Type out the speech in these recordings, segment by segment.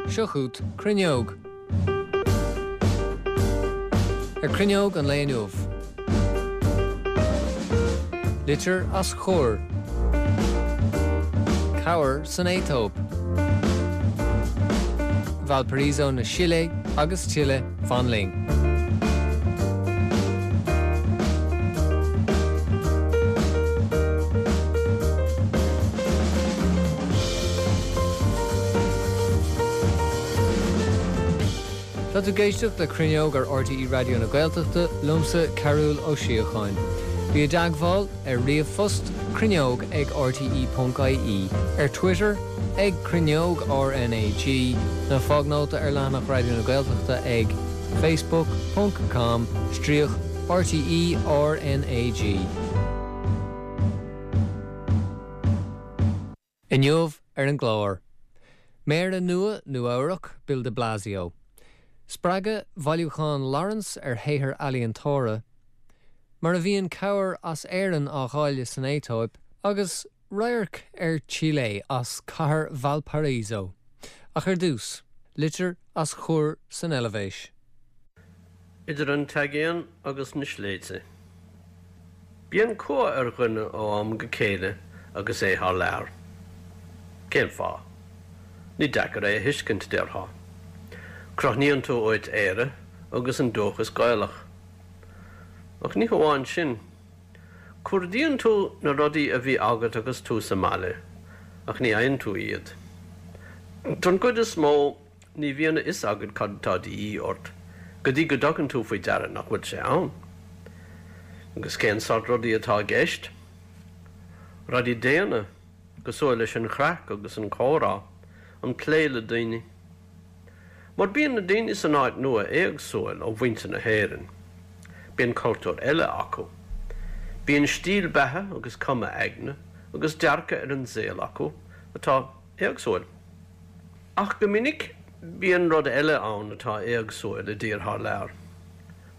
Seo chugat Cruinneog. Ar Cruinneog an lae inniu. Litir as Chur. Cabhair san Aetóip. Valparaiso na Sile agus tuilleadh, fan linn. Tá tú ag éisteacht le Cruinneog ar RTÉ Raidió na Gaeltachta, liomsa Cearbhall Ó Síocháin. Bí i dteagmháil ar ríomhphost, cruinneog ag rte.ie, ar Twitter ag Cruinneog RnaG, nó fág nóta ar leathanach Raidió na Gaeltachta ag facebook ponc com stríoc RTÉ RnaG. Inniu ar an gclár, Méara nua Nua-Eabhrac, Bill de Blasio. Spreagadh Bhailiúchán Lawrence ar shaothar ealaíontóra. Mar a bhíonn cabhair as Éirinn á dháileadh san Aetóip agus radharc ar Chile as cathair Valparaiso. Ach ar dtús, litir as Chur san Eilvéis. Idir an t-aigéan agus na sléibhte. Bíonn cumha ar dhuine ó am go céile agus é thar lear. Cén fáth? Ní deacair é a thuiscint, déarfá. Crothnaíonn tú uait Éire agus an dúchas Gaelach. Ach ní hamháin sin. Cuardaíonn tú na rudaí a bhí agat agus tú sa mbaile, ach ní fhaigheann tú iad. Don gcuid is mó, Ní bhíonn a fhios agat cad atá de dhíth ort go dtí go dtugann tú faoi deara nach bhfuil sé ann. Agus cén sórt rudaí atá i gceist? Rudaí daonna, cosúil leis an chraic agus an comhrá, an plé le daoine. Mar bíonn na daoine san áit nua éagsúil ó mhuintir na hÉireann. Bíonn cultúr eile acu. Bíonn stíl beatha agus cuma aigne agus dearcadh ar an saol acu atá éagsúil. Ach go minic bíonn rud eile ann atá éagsúil i dtír thar lear,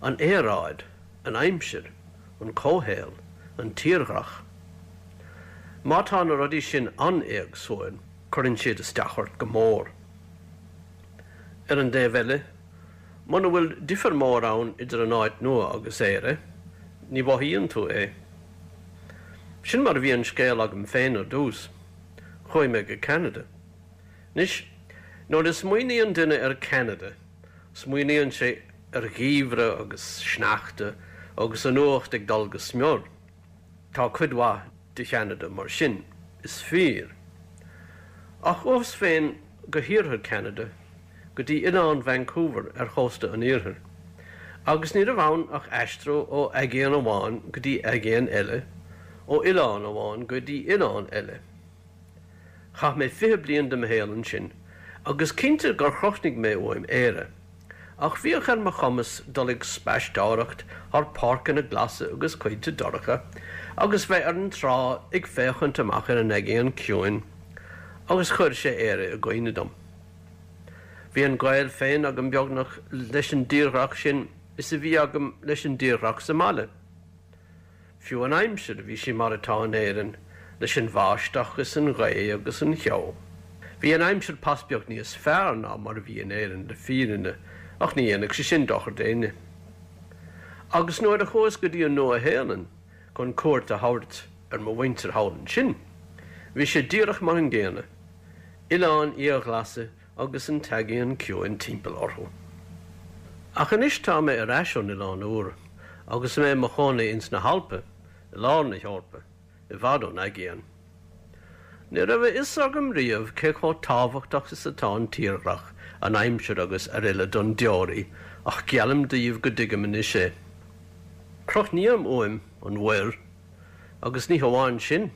an aeráid, an aimsir, an comhshaol, an tírdhreach. Má tá na rudaí sin an-éagsúil, cuireann siad isteach ort go mór. Ar an dtaobh eile, muna bhfuil difear mór ann idir an áit nua agus Éire, ní mhothaíonn tú é. Sin mar a bhí an scéal agam féin ar dtús. Chuaigh mé go Ceanada. Anois, nuair a smaoiníonn duine ar Ceanada, smaoiníonn sé ar gheimhreadh agus sneachta agus an fhuacht ag dul go smior. Tá cuid mhaith de Cheanada mar sin, is fíor. Ach chuas féin go hiarthar Cheanada, go dtí oileán Vancouver ar chósta an iarthair, agus ní raibh ann ach aistriú ó aigéan amháin go dtí aigéan eile, ó oileán amháin go dtí oileán eile. Chaith mé 20 bliain de mo shaol ansin, agus cinnte gur chrothnaigh mé uaim Éire, ach bhíodh ar mo chumas dul ag spaisteoireacht thar páirceanna glasa agus coillte dorcha, agus bheith ar an trá ag féachaint amach ar an Aigéan Ciúin, agus chuir sé Éire i gcuimhne dom. Bhí an gaol féin agam beagnach leis an dtírdhreach sin is a bhí agam leis an dtírdhreach sa mbaile. Fiú an aimsir, bhí sí mar atá in Éirinn, leis an bháisteach is an ghaoth agus an cheo. Bhí an aimsir pas beag níos fearr ná mar a bhí in Éirinn le fírinne, ach ní dhéanfadh sé sin dochar d'éinne. Agus nuair a chuas go dtí an Nua-Shéalainn chun cuairt a thabhairt ar mo mhuintir thall ansin, bhí sé díreach mar an gcéanna, oileáin fhiaghhlasa agus an tAigéan Ciúin timpeall orthu. Ach anois tá mé ar ais ón Oileán Úr agus mé i mo chónaí ins na hAlpa, i lár na hEorpa, i bhfad ón aigéan. Ní raibh a fhios agam riamh cé chomh tábhachtach is atá an tírdhreach, an aimsir agus aroile don deoraí ach geallaim daoibh go dtuigim anois é. Crothnaím uaim an mhuir agus ní hamháin sin,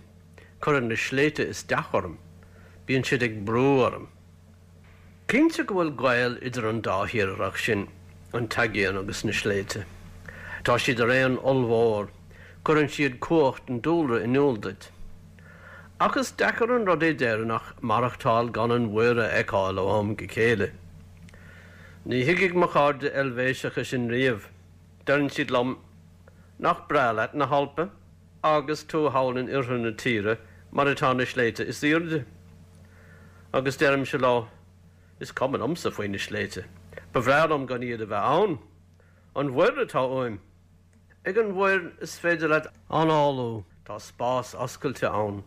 Cuireann na sléibhte isteach orm, bíonn siad ag brú orm. Cinnte go bhfuil gaol idir an dá thírdhreach sin, an t-aigéan agus na sléibhte. Tá siad araon ollmhór, cuireann siad cumhacht an dúlra in iúl duit. Ach is deacair an rud é d'Éireannach maireachtáil gan an mhuir a fheiceáil ó am go chéile. Ní thuigfidh mo chairde Eilvéiseacha sin riamh. Deireann siad liom, Nach breá leat na hAlpa? agus tú thall in oirthear na tíre mar atá na sléibhte is aoirde. Agus deirimse leo, Is cuma liomsa faoi na sléibhte. Ba bhreá liom gan iad a bheith ann. An mhuir atá uaim. Ag an mhuir is féidir leat análú, tá spás oscailte ann.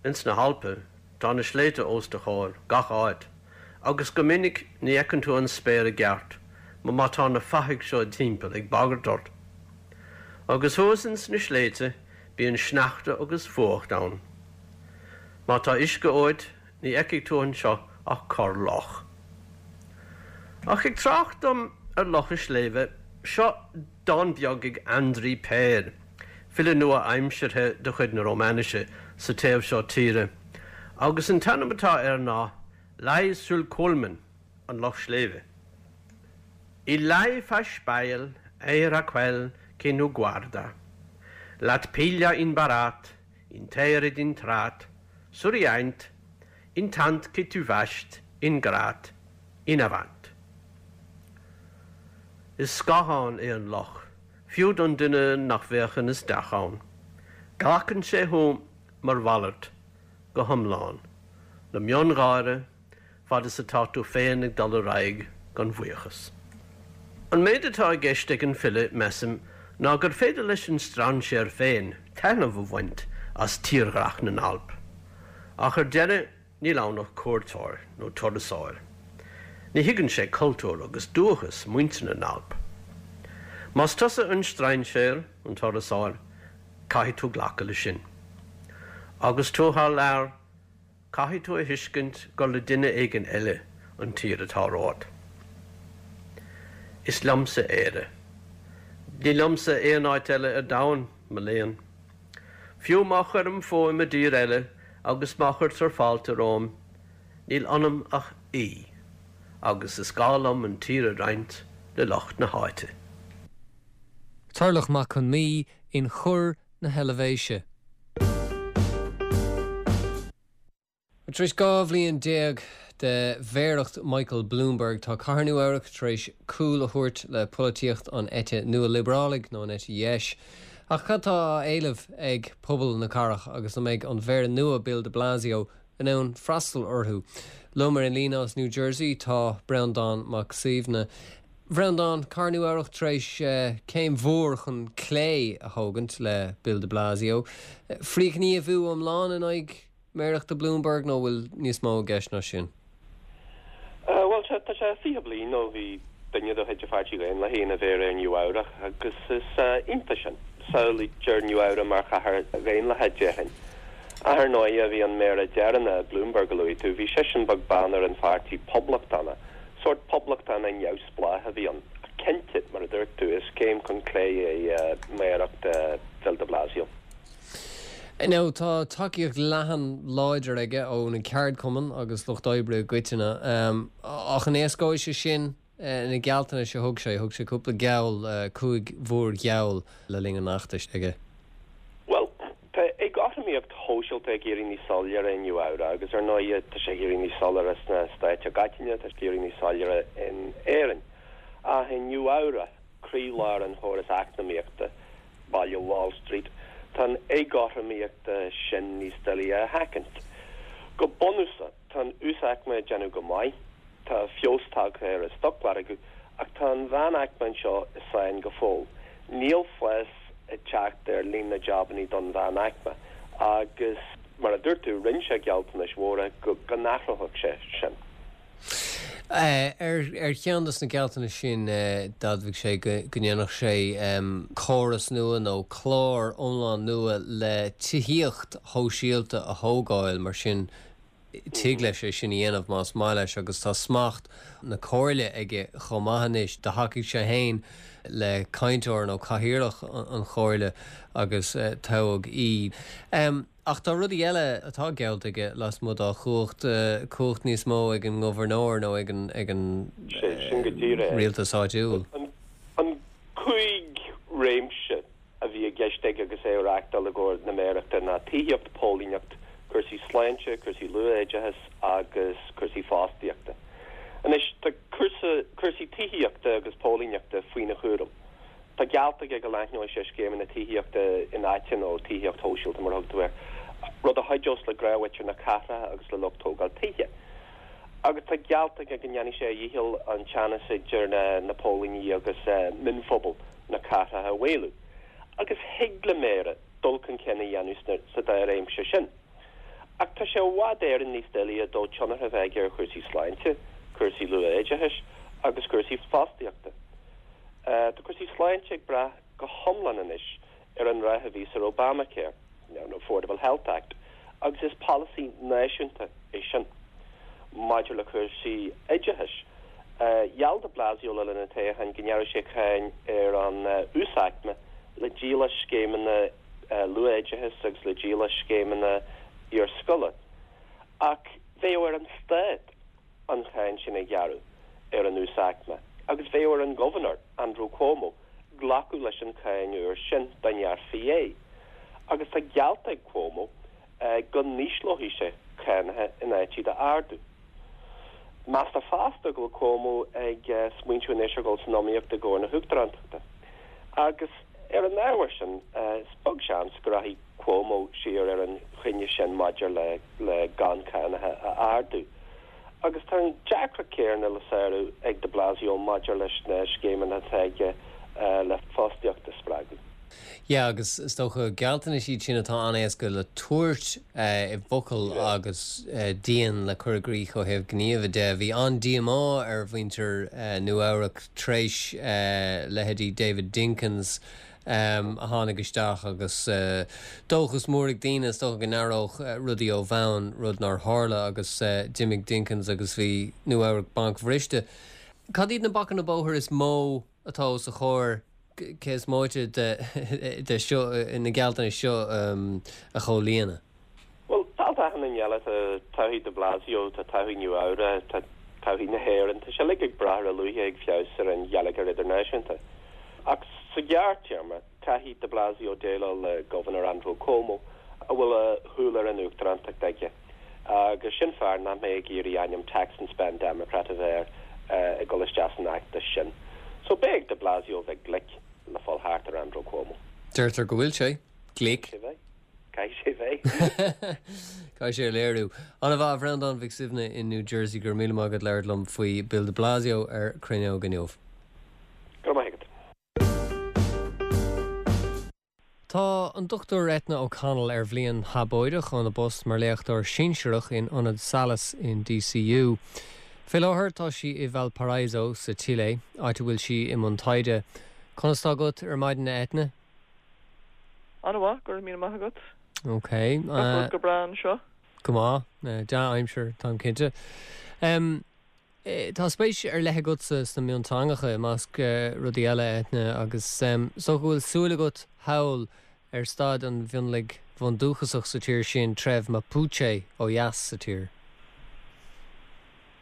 Ins na hAlpa, tá na sléibhte os do chomhair, gach áit, agus go minic ní fheiceann tú an spéir i gceart má tá na fathaigh seo timpeall ag bagairt ort. Agus thuas ins na sléibhte bíonn sneachta agus fuacht ann. Má tá uisce uait, Ní fheicfidh tú anseo ach corr loch. Ach ag trácht dom ar locha sléibhe, seo dán beag ag Andri Peer, file nua-aimseartha de chuid na Rómainise sa taobh seo tíre, agus an t-ainm atá air ná Lai sul Cuolmen, an Loch Sléibhe. Il lai fa speiel, eir a quel che nu guarda. Lat piglia in barat, inter ed intrat, surriaint, intant che tu vast, ingrat, inavant. Is scáthán é an loch, fiú don duine nach bhféachann isteach ann. Glacann sé thú mar mhalairt, go hiomlán, le miongháire, fad is atá tú féin ag dul ar aghaidh gan bhuíochas. An méid atá i gceist ag an file, measaim, ná gur féidir leis an strainséir féin taitneamh a bhaint as tírdhreach na nAlp. Ach ar deireadh, níl ann ach cuairteoir nó turasóir. Ní thuigeann sé cultúr agus dúchas muintir na nAlp. Más tusa an strainséir, an turasóir, caithfidh tú glacadh leis sin. Agus tú thar lear, Caithfidh tú a thuiscint gur le duine éigin eile an tír atá romhat. Is liomsa Éire. Ní liomsa aon áit eile ar domhan, mo léan. Fiú má chuirim fúm i dtír eile agus má chuirtear fáilte romham, níl ionam ach aoi, agus is gá liom an tír a roinnt le lucht na háite. Turlough Mac Con Midhe in Chur na hEilvéise. Tar éis 12 bhliain de mhéaracht Michael Bloomberg, tá cathair Nua-Eabhrac tar éis cúl a thabhairt le polaitíocht an eite nua-liobrálaigh, nó an eite dheis. Ach cad tá á éileamh ag pobal na cathrach agus an mbeidh an mhéara nua Bill de Blasio in ann freastal orthu? Liom ar an líne as New Jersey tá Breandán Mac Suibhne. Bhreandáin, Cathair Nua-Eabhrac tar éis céim mhór chun clé a thógaint le Bill de Blasio. Frithghníomhú iomlán in aghaidh méarachta Bloomberg nó bhfuil níos mó i gceist ná sin? Bhuel, tá sé 20 bliain ó bhí duine de chuid an Pháirtí Dhaonlathaigh ina mhéara ar Nua-Eabhrac agus is iontach sin. Samhlaítear Nua-Eabhrac mar chathair dhaonlathach, déarfainn. Ach ar ndóighe, bhí an méara deireanach, Bloomberg a luaigh tú, bhí seisean beag beann ar an pháirtí Poblachtánach. Sórt poblachtánach neamhspleách a bhí ann. Ach cinnte, mar a dúirt tú, is céim chun clé é méaracht Bhill de Blasio. Now, tá tacaíocht leathan láidir aige ó na ceardchumainn agus lucht oibre i gcoitinne. Ach an éascóidh sé sin na gealltanais a thug sé? Thug sé cúpla geall, 5 mhórgheall le linn an fheachtais aige. Bhuel, tá éagothromaíocht shóisialta ag éirí níos soiléire i Nua Eabhrac agus ar ndóighe tá sé ag éirí níos soiléire sna Stáit i gcoitinne, tá sé ag éirí níos soiléire in Éirinn. Ach i Nua Eabhrac, croílár an chórais eacnamaíochta, baile Wall Street, tá an éagothromaíocht sin níos doilighe a sheachaint. Go bunúsach, Tá an uasaicme ag déanamh go maith, tá feabhas tagtha ar an stocmhargadh, ach tá an mheánaicme anseo i sáinn go fóill. Níl fás ag teacht ar líon na jabannaí don mheánaicme agus, mar a dúirt tú, rinne sé gealltanais mhóra go n-athródh sé sin. Ar cheann de na gealltanais sin, d'admhaigh sé go ndéanfadh sé córas nua nó clár iomlán nua le tithíocht shóisialta a thógáil, mar sin tig leis é sin a dhéanamh más maith leis agus tá smacht na comhairle aige chomh maith anois. Do thacaigh sé féin le cainteoir nó cathaoirleach an chomhairle agus toghadh í. Ach tá rudaí eile atá geallta aige lasmuigh dá chumhacht, cumhacht níos mó ag an ngobharnóir nó ag an ag an Sin go díreach é. rialtas áitiúil. An 5 réimse a bhí i gceist aige agus é ag reachtáil i gcomhair na méarachta ná tithíocht, póilíneacht, cúrsaí sláinte, cúrsaí luath-oideachais agus cúrsaí fostaíochta. Anois, tá cúrsa, cúrsaí tithíochta agus póilíneachta faoina chúram. Tá geallta aige go leathnóidh sé scéimeanna tithíochta infhaighte nó tithíocht shóisialta mar a thug tú air, rud a chuideos le gnáthmhuintir na cathrach agus le lucht tógáil tithe. Agus tá geallta aige go ndéanfaidh sé a dhícheall an teannas idir na póilíní agus mionphobail na cathrach a mhaolú. Agus thig le Méara dul chun cinn a dhéanamh sa dá réimse sin. Ach tá sé i bhfad Éireann níos doilighe dó tionchar a bheith aige ar chúrsaí sláinte, cúrsaí luath-oideachais agus cúrsaí fostaíochta. Tá cúrsaí sláinte ag brath go hiomlán anois ar an rath a bhíos ar Obamacare, nó Affordable Health Act, agus is polasaí náisiúnta é sin. Maidir le cúrsaí oideachais, gheall de Blasio le linn an toghcháin go ngearrfadh sé cáin ar an uasaicme le díol as scéimeanna luath-oideachais agus le díol as scéimeanna iarscoile. Ach bheadh ar an stát an cháin sin a ghearradh ar an uasaicme agus bheadh ar an Ghobharnóir, Andrew Cuomo, glacadh leis an cháin úr sin dá ngearrfaí é. Agus tá geallta ag Cuomo go n-ísleoidh sé cánacha in áit iad a ardú. Meastar fosta go bhfuil Cuomo ag smaointiú anois ar dhul san iomaíocht i gcomhair na huachtarántachta. Agus ar an ábhar sin, is beag seans go rachaidh Cuomo siar ar an chinneadh sin maidir le gan cánacha a ardú. Agus tá an deacracht céanna le sárú ag de Blasio maidir leis na scéimeanna atá aige le fostaíocht a spreagadh. Yeah, agus is dócha gealltanais iad sin atá an-éasca le tabhairt i bhfocail agus dian le cur i gcrích ó thaobh gníomha de. Bhí an-díomá ar mhuintir Nua Eabhrac tar éis leithéidí David Dinkins a tháinig isteach agus dóchas mór ag daoine is dócha go n-athródh rudaí ó bhonn, rud nár tharla agus d'imigh Dinkins agus bhí Nua Eabhrac bancbhriste. Cad iad na bacanna bóthair is mó atá os a chomhair cé is móite de seo, na gealltanais seo a chomhlíonadh? Bhuel, dálta achan duine eile, tá todhchaí de Blasio, tá todhchaí Nua Eabhrac, tá todhchaí na hÉireann, tá sé uilig ag brath ar a luaithe a thig feabhas ar an gheilleagar idirnáisiúnta. Ach sa ghearrtéarma, caithfidh de Blasio déileáil le Gobharnóir Andrew Cuomo, a bhfuil a shúil ar an uachtarántacht aige. Agus sin fear nach mbeidh ag iarraidh ainm Tax and Spend Democrat a bheith air ag dul isteach san fheachtas sin. So beidh ag de Blasio bheith glic le fáil thart ar Andrew Cuomo. Deirtear go bhfuil sé glic. Caithfidh sé bheith. Caithfidh sé bheith. Caithfidh sé a léiriú. An-mhaith, a Bhreandáin Mhic Suibhne in New Jersey, go raibh míle maith agat labhairt liom faoi Bill de Blasio ar Cruinneog inniu. Go raibh maith agat. Tá an Dr Eithne O'Connell ar bhliain shabóideach óna post mar léachtóir sinsearach in Ionad Salus in DCU. Fé láthair tá sí i Valparaiso sa tSile, áit a bhfuil sí i mbun taighde. Conas tá agat ar maidin a Eithne? An-mhaith, go raibh míle maith agat. Ok. Gach rud go breá anseo. Go maith. Dea-aimsir, táim cinnte. Tá spéis ar leith agatsa sna mionteangacha, i measc rudaí eile, Eithne, agus is dócha go bhfuil súil agat thall ar staid an mhionlaigh bhundúchasach sa tír sin, treibh Mapuche, ó dheas sa tír.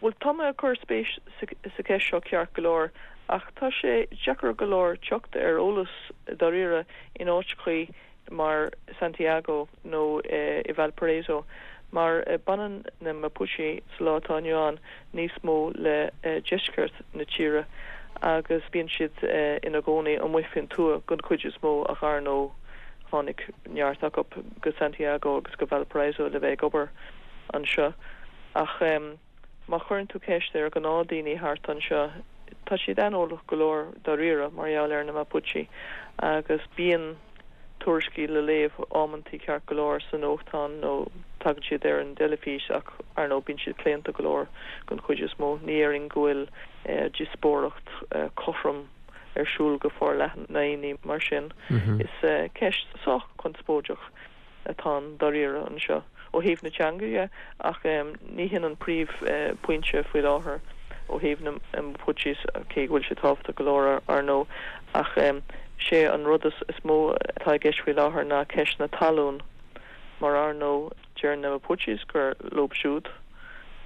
Bhuel, tá mé ag cur spéis sa cheist seo ceart go leor, ach tá sé deacair go leor teacht ar eolas dáiríre in áiteachaí mar Santiago nó i Valparaiso, mar baineann na Mapuche sa lá atá inniu ann níos mó le deisceart na tíre agus bíonn siad ina gcónaí amuigh faoin tuath den chuid is mó ach ar ndóigh tháinig neart acu go Santiago agus go Valparaiso le bheith ag obair anseo. Ach má chuireann tú ceist ar ghnáthdaoine thart anseo tá siad aineolach go leor dáiríre mar gheall ar na Mapuche agus bíonn tuairiscí le léamh amantaí ceart go leor sa nuachtán nó tagann siad ar an dteilifís ach ar ndóigh bíonn siad claonta go leor den chuid is mó. Ní déarfainn go bhfuil díospóireacht cothrom ar siúl go forleathan ná aon ní mar sin. Is ceist sách conspóideach atá ann dáiríre anseo ó thaobh na teanga dhe ach ní hin an príomh pointe faoi láthair ó thaobh na Mapuches cé go bhfuil sé tábhachtach go leor ar ndóigh ach sé an rud is mó atá i gceist faoi láthair ná ceist na talún mar ar ndóigh deir na Mapuches gur leob siúd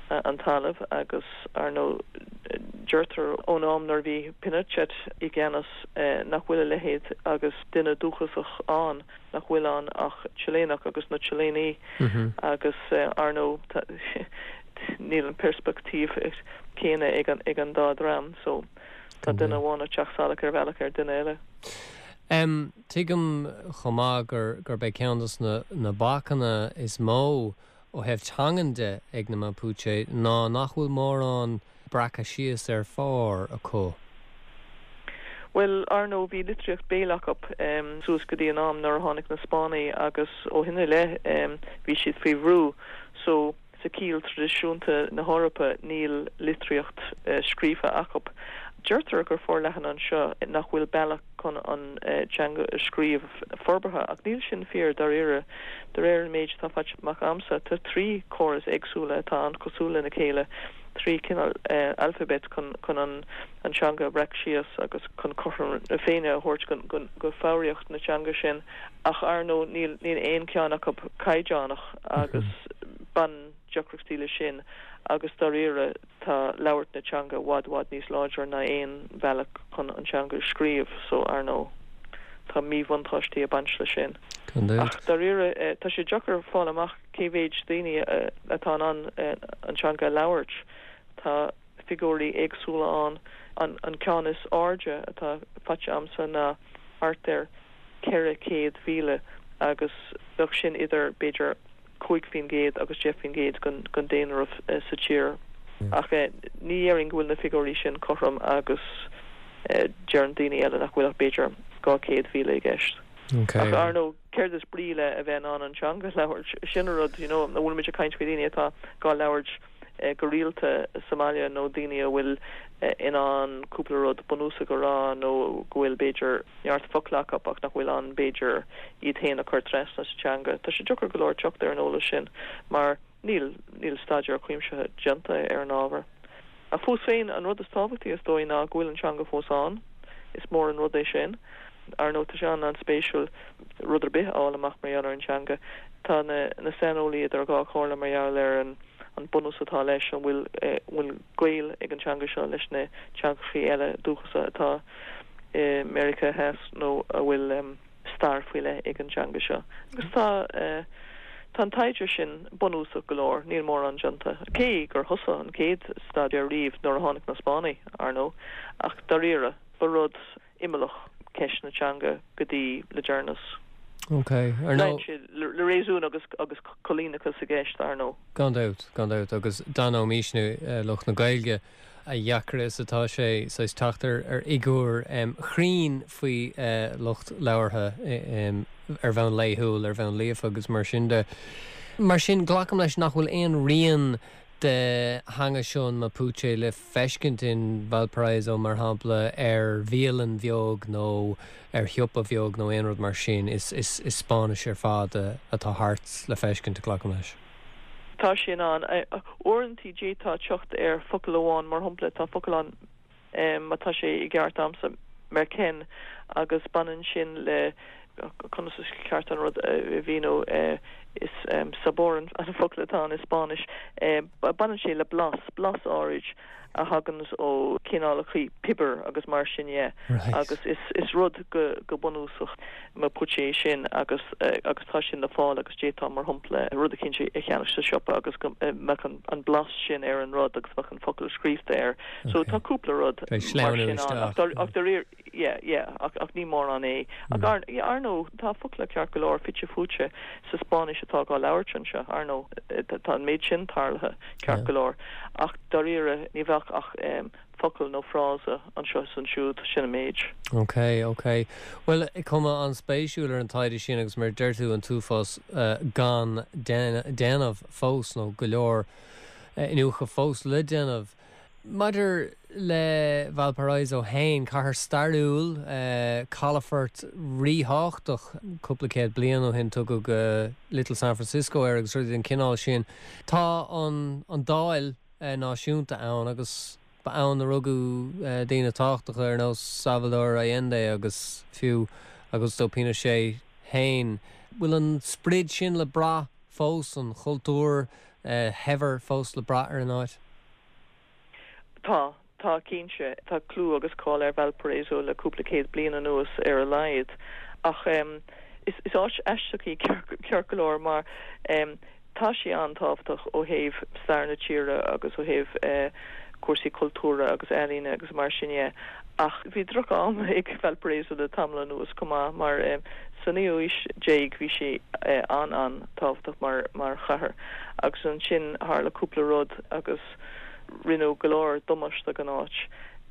an talamh agus ar ndóigh deirtear ón am nuair a bhí Pinochet i gceannas nach bhfuil a leithéid agus duine dúchasach ann. nach bhfuil ann ach Chiléanach agus na Chiléanaigh agus ar ndóigh níl an peirspictíoch céanna ag an ag an dá dhream so tá duine amháin ag teacht salach ar bhealach ar duine eile. Tuigim chomh maith gur gurb é ceann dos na na bacanna is mó. ó thaobh teangan de ag na Mapuche ná nach bhfuil mórán breactha síos ar phár acu. Bhuel, ar ndóigh, bhí litríocht béil acu suas go dtí an am nuair a tháinig na Spáinnigh agus ó shin i leith bhí siad faoi bhrú. So, sa chiall traidisiúnta na hEorpa, níl litríocht scríofa acu. Deirtear gur forleathan anseo nach bhfuil bealach chun an teanga a scríobh forbartha, ach níl sin fíor dáiríre. De réir an méid atá faighte amach a'msa, tá 3 chóras éagsúla atá an-chosúil lena chéile, 3 chineál alphabet chun an teanga a bhreac síos agus chun cothrom na Féinne a thabhairt go foghraíocht na teanga sin. Ach ar ndóigh níl aon cheann acu caighdeánach agus baineann deacrachtaí leis sin agus dáiríre tá labhairt na teanga i bhfad bhfad níos láidre ná aon bhealach chun an teanga a scríobh so ar ndóigh tá míbhuntáistí ag baint leis sin. Ach dáiríre tá sé deacair fáil amach cé mhéid daoine atá in ann an teanga a labhairt. Tá figiúirí éagsúla ann. An ceann is airde atá faighte a'msa ná thart ar 400,000 agus bheadh sin idir b'fhéidir 5% agus 10% den daonra sa tír. Ach ní dhéarfainn go bhfuil na figiúirí sin cothrom agus deireann daoine eile nach bhfuil ach b'fhéidir 200,000 i gceist. Ach ar ndóigh, céard is brí le a bheith in ann an teanga a labhairt? Sin an rud, you know, an bhfuil muid ag caint faoi dhaoine atá dhá labhairt go rialta sa mbaile nó daoine a bhfuil in ann cúpla rud bunúsach a rá nó go bhfuil b'fhéidir neart focla acu ach nach bhfuil in ann b'fhéidir iad féin a chur trasna sa teanga. Tá sé deacair go leor teacht ar an eolas sin mar níl níl staidéar cuimsitheach déanta ar an ábhar. Ach fós féin, an rud is tábhachtaí is dóigh ná go bhfuil an teanga fós ann. Is mór an rud é sin. Ar ndóigh tá sé an-an-spéisiúil rud ar bith a fháil amach mar gheall ar an teanga. Tá na na saineolaí idir dhá chomhairle mar gheall ar an an bunús atá leis, an bhfuil bhfuil gaol ag an teanga seo leis na teangachaí eile dúchasacha atá i Meiriceá Theas nó an bhfuil stair faoi leith ag an teanga seo. Agus tá tá an taighde sin bunúsach go leor, níl mórán déanta, cé gur thosaigh an chéad staidéar riamh nuair a tháinig na Spáinnigh, ar ndóigh, ach dáiríre, ba rud imeallach ceist na teanga go dtí le deireanas. Ok, ar ndóigh. Sé le réasún agus agus coilíneachas i gceist, ar ndóigh. Gan dabht, gan dabht, agus d'aithneoimisne, lucht na Gaeilge, a dheacra is atá sé saghas teacht ar fhigiúr chruinn faoi lucht labhartha ar bhonn laethúil, ar bhonn líofa agus mar sin de. Mar sin, glacaim leis nach bhfuil aon rian de theanga seo an Mapuche le feiscint in Valparaiso, mar shampla, ar bhialann bheag nó ar shiopa bheag nó aon rud mar sin. Is Spáinnis ar fad atá thart le feiscint, glacaim leis. Tá sin ann. Uaireanta d'fhéadfá teacht ar focal amháin, mar shampla, tá focal ann, má tá sé i gceart a'msa, merkén, agus baineann sin le, conas is ceart an rud a mhíniú, is sabor an focal atá ann i Spáinnis, baineann sé le blas, blas áirid a thaganns ó chineálacha piobair agus mar sin dhe agus is rud go bunúsach Mapuche é sin agus agus tá sin le fáil agus d'fhéadfá mar shampla rud eicínt a cheannach sa siopa agus go mbeadh an blas sin ar an rud agus bheadh an focal scríofa air. So tá cúpla rud mar sin ann ach ach dáiríre yeah yeah ach ach ní mórán é. Ach ar yeah ar ndóigh tá focla ceart go leor fite fuaite sa Spáinnis atá dhá labhairt anseo ar ndóigh tá an méid sin tarlaithe ceart go leor ach dáiríre ní bheadh ach focal nó frása anseo is ansiúd, sin an méid. Ok, ok. Bhuel, cuma an-spéisiúil ar an taighde sin agus mar a deir tú, an t-uafás gan déanamh fós nó go leor iniúchadh fós le déanamh. Maidir le Valparaiso féin, cathair stairiúil, calafort ríthábhachtach cúpla céad bliain ó shin, tugadh Little San Francisco air agus rudaí den chineál sin. Tá an Dáil náisiúnta ann agus ba ann a rugadh daoine tábhachtacha ar nós Salvador Allende agus fiú Augusto Pinochet féin. Bhfuil an sprid sin le brath fós, an chultúr shaibhir fós le brath ar an áit? Tá, tá cinnte. Tá clú agus cáil ar Valparaiso le cúpla céad bliain anuas ar a laghad. Ach is áit aisteach í ceart go leor mar tá sí an-tábhachtach ó thaobh stair na tíre agus ó thaobh. cúrsaí cultúrtha agus ealaíne agus mar sin dhe. Ach bhí droch-am ag Valparaiso le tamall anuas chomh maith mar sa naoú haois déag bhí sí an-an-tábhachtach mar mar chathair agus ansin tharla cúpla rud agus rinneadh go leor damáiste don áit.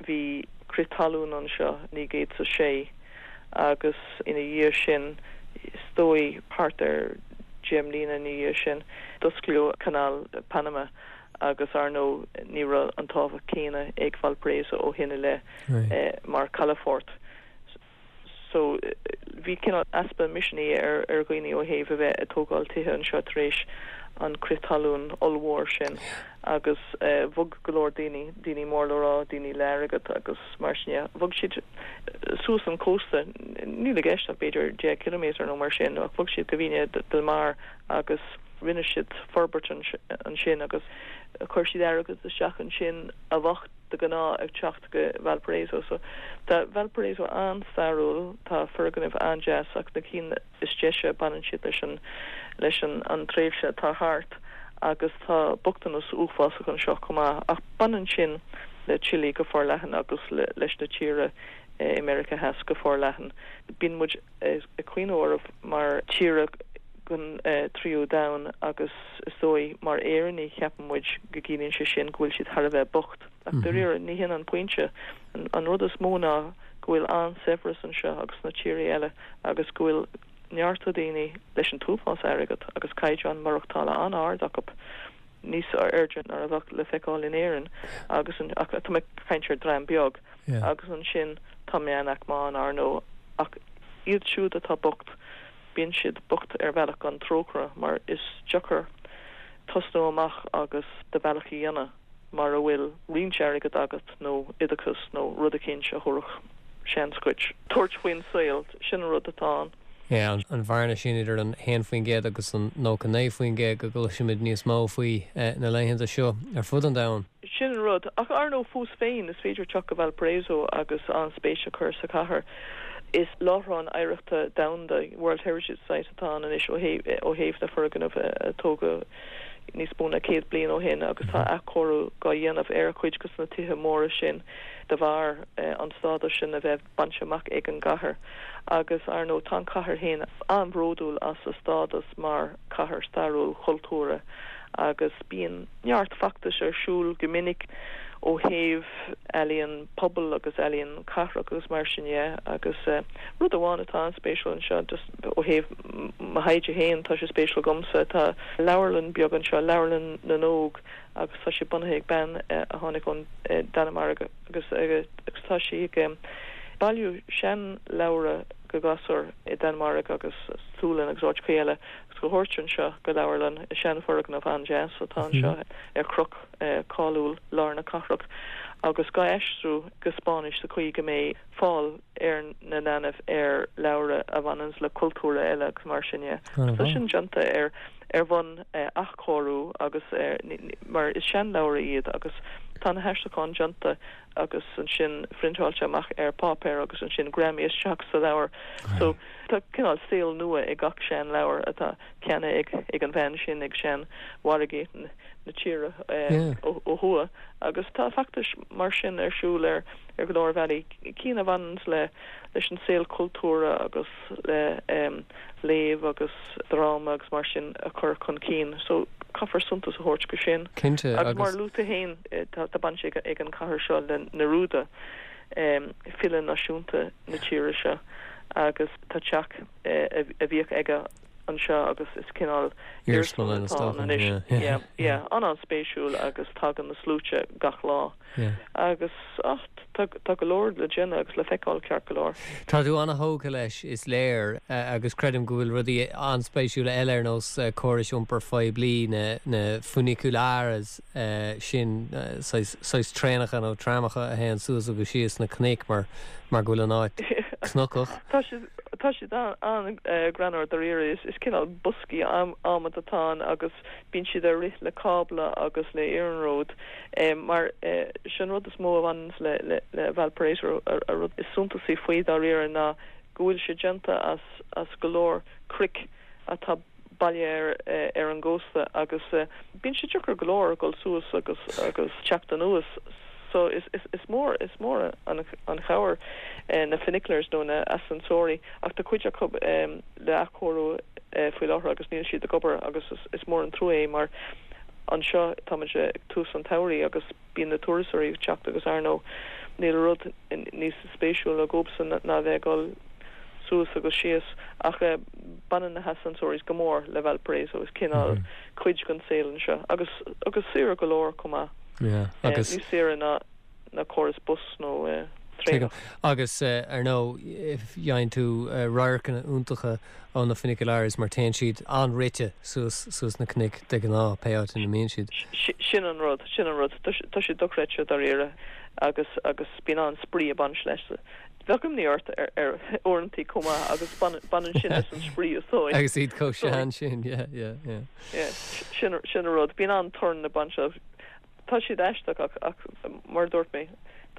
Bhí crith talún anseo 1906 agus ina dhiaidh sin, is dóigh thart ar dheich mbliana ina dhiaidh sin, d'osclaíodh Canáil Panama agus ar ndóigh ní raibh an tábhacht céanna ag Valparaiso ó shin i leith mar calafort. So bhí cineál easpa misnigh ar ar dhaoine ó thaobh a bheith ag tógáil tithe anseo tar éis an crith talún ollmhór sin agus bhog go leor daoine, daoine mór le rá, daoine le airgead agus mar sin de, bhog siad suas an cósta, níl i gceist ach b'fhéidir 10 ciliméadar nó mar sin, ach bhog siad go Viña del Mar agus rinne siad forbairt ansin agus chuir siad airgead isteach ansin a bheadh de ghnáth ag teacht go Valparaiso. So tá Valparaiso an-stairiúil, tá foirgnimh an-deas ach na cinn is deise baineann siad leis an leis an an tréimhse atá thart agus tá bochtanas uafásach anseo chomh maith ach baineann sin le Chile go forleathan agus leis na tíortha i Meiriceá Theas go forleathan. Bíonn muid ag cuimhneamh orthu mar tíortha den tríú domhan agus is dóigh mar Éireannaigh ceapann muid go gciallaíonn sé sin go bhfuil siad thar a bheith bocht. Ach dáiríre ní hin an pointe. An rud is mó ná go bhfuil an-saibhreas anseo agus sna tíortha eile agus go bhfuil neart daoine leis an t-uafás airgead agus caighdeán maireachtála an-ard acu, níos airde ná a bheadh le feiceáil in Éirinn agus ach tá mé ag caint ar dream beag agus ansin tá meánaicme ann ar ndóigh ach iad siúd atá bocht Bíonn siad bocht ar bhealach gan trócaire mar is deacair tosnú amach agus do bhealach a dhéanamh mara bhfuil roinnt airgid agat nó oideachas nó rud eicínt a thabharfadh seans dhuit tabhairt faoin saol. Sin an rud atá ann. Yeah, an bhearna sin idir an 1% agus an 99% go gcloisimid níos mó faoi na laethanta seo ar fud an domhain. Sin an rud. Ach ar ndóigh, fós féin, is féidir teacht go Valparaiso agus an-spéis a chur sa chathair. Is láithreán oidhreachta domhanda, World Heritage Site, atá ann anois ó thaobh na foirgnimh a tógadh níos mó ná 100 bliain ó shin agus tá athchóiriú dhá dhéanamh ar chuid de na tithe móra sin de bharr an stádas sin a bheith bainte amach ag an gcathair agus, ar ndóigh, tá an chathair féin an-bhródúil as a stádas mar chathair stairiúil chultúrtha agus bíonn neart feachtais ar siúl go minic ó thaobh ealaíon pobail agus ealaíon cathrach agus mar sin dhe agus rud amháin atá an-spéisiúil anseo just ó thaobh mo thaighde féin tá sé spéisiúil dhomsa tá leabharlann beag anseo, Leabharlann na nÓg agus tá sé bunaithe ag bean a tháinig ón Danmhairg agus agus tá sí ag bailiú seanleabhra do ghasúir i Danmhairg agus Sualainn agus áiteachaí eile agus dhá thabhairt anseo go leabharlann i seanfhoirgneamh an-deas atá anseo ar chnoc cáiliúil lár na cathrach agus dhá aistriú go Spáinnis sa chaoi go mbeidh fáil ar na leanbh ar leabhra a bhaineanns le cultúrtha eile agus mar sin dhe. Tá sin déanta ar ar bhonn athchóiriú agus mar is seanleabhra iad agus tá na haistriúcháin déanta agus ansin phriontáilte amach ar páipéar agus ansin greamaithe isteach sa leabhar. So tá cineál saol nua ag gach seanleabhar atá ceannaithe ag an bhean sin ag seanmhargaí na tíre ó thuaidh agus tá feachtais mar sin ar siúl ar ar go leor bealaí, cinn a bhaineanns le leis an saol cultúrtha agus le léamh agus dráma agus mar sin a chur chun cinn. So caithfear suntas a thabhairt go sin. Cinnte, Agus mar a luaigh tú féin, tá baint ag an chathair seo le Neruda, file náisiúnta na tíre seo agus tá teach a bhíodh aige anseo agus is cineál iarsmalann atá ann anois. Yeah, yeah, an-an-spéisiúil agus tagann na sluaite gach lá. Agus, ach, tá, tá go leor le déanamh agus le feiceáil ceart go leor. Tá tú an-thógtha leis, is léir, agus creidim go bhfuil rudaí an-spéisiúla eile ar nós córais iompair phoiblí, na, na funiculares sin, saghas, saghas traenacha nó tramacha a théann suas agus síos na cnoic mar, mar go bhfuil an áit cnocach. Tá siad, tá siad an-ghreannmhar dáiríre. Is, is cineál boscaí adhmaid atá ann agus bíonn siad ag rith le cábla agus le iarnród mar sé an rud is mó a bhaineanns le le Valparaiso an rud is suntasaí faoi dáiríre ná go bhfuil sé déanta as as go leor cnoic atá. baile ar ar an gcósta agus bíonn sé deacair go leor dul suas agus agus teacht anuas so is is is mór is mór an an chabhair na funiculars nó na ascensori ach tá cuid acu le athchóiriú faoi láthair agus níl siad ag obair agus is is mór an trua é mar anseo táimid ag tús an tsamhraidh agus bíonn na turasóirí ag teacht agus ar ndóigh níl rud níos spéisiúla dhóibhsean ná bheith ag dul suas agus síos ach baineann na hascensores go mór le Valparaiso, is cineál cuid den saol anseo agus agus saor go leor chomh maith. Agus. Níos saoire ná ná córas bus nó traenach. Agus ar ndóigh faigheann tú radharcanna iontacha ó na funiculares mar téann siad an-rite suas suas na cnoic de ghnáth, pé áit ina mbíonn siad. Sin an rud, sin an rud. Tá sé dochreidte dáiríre agus agus bíonn an-spraoi ag baint leis. Bheadh imní ort ar ar uaireantaí chomh maith agus baineann sin leis an spraoi is dóigh. Agus iad chomh sean sin, yeah, yeah, yeah. Yeah, sin sin an rud. Bíonn an-torann ag baint leo. Tá siad aisteach ach ach mar a dúirt mé,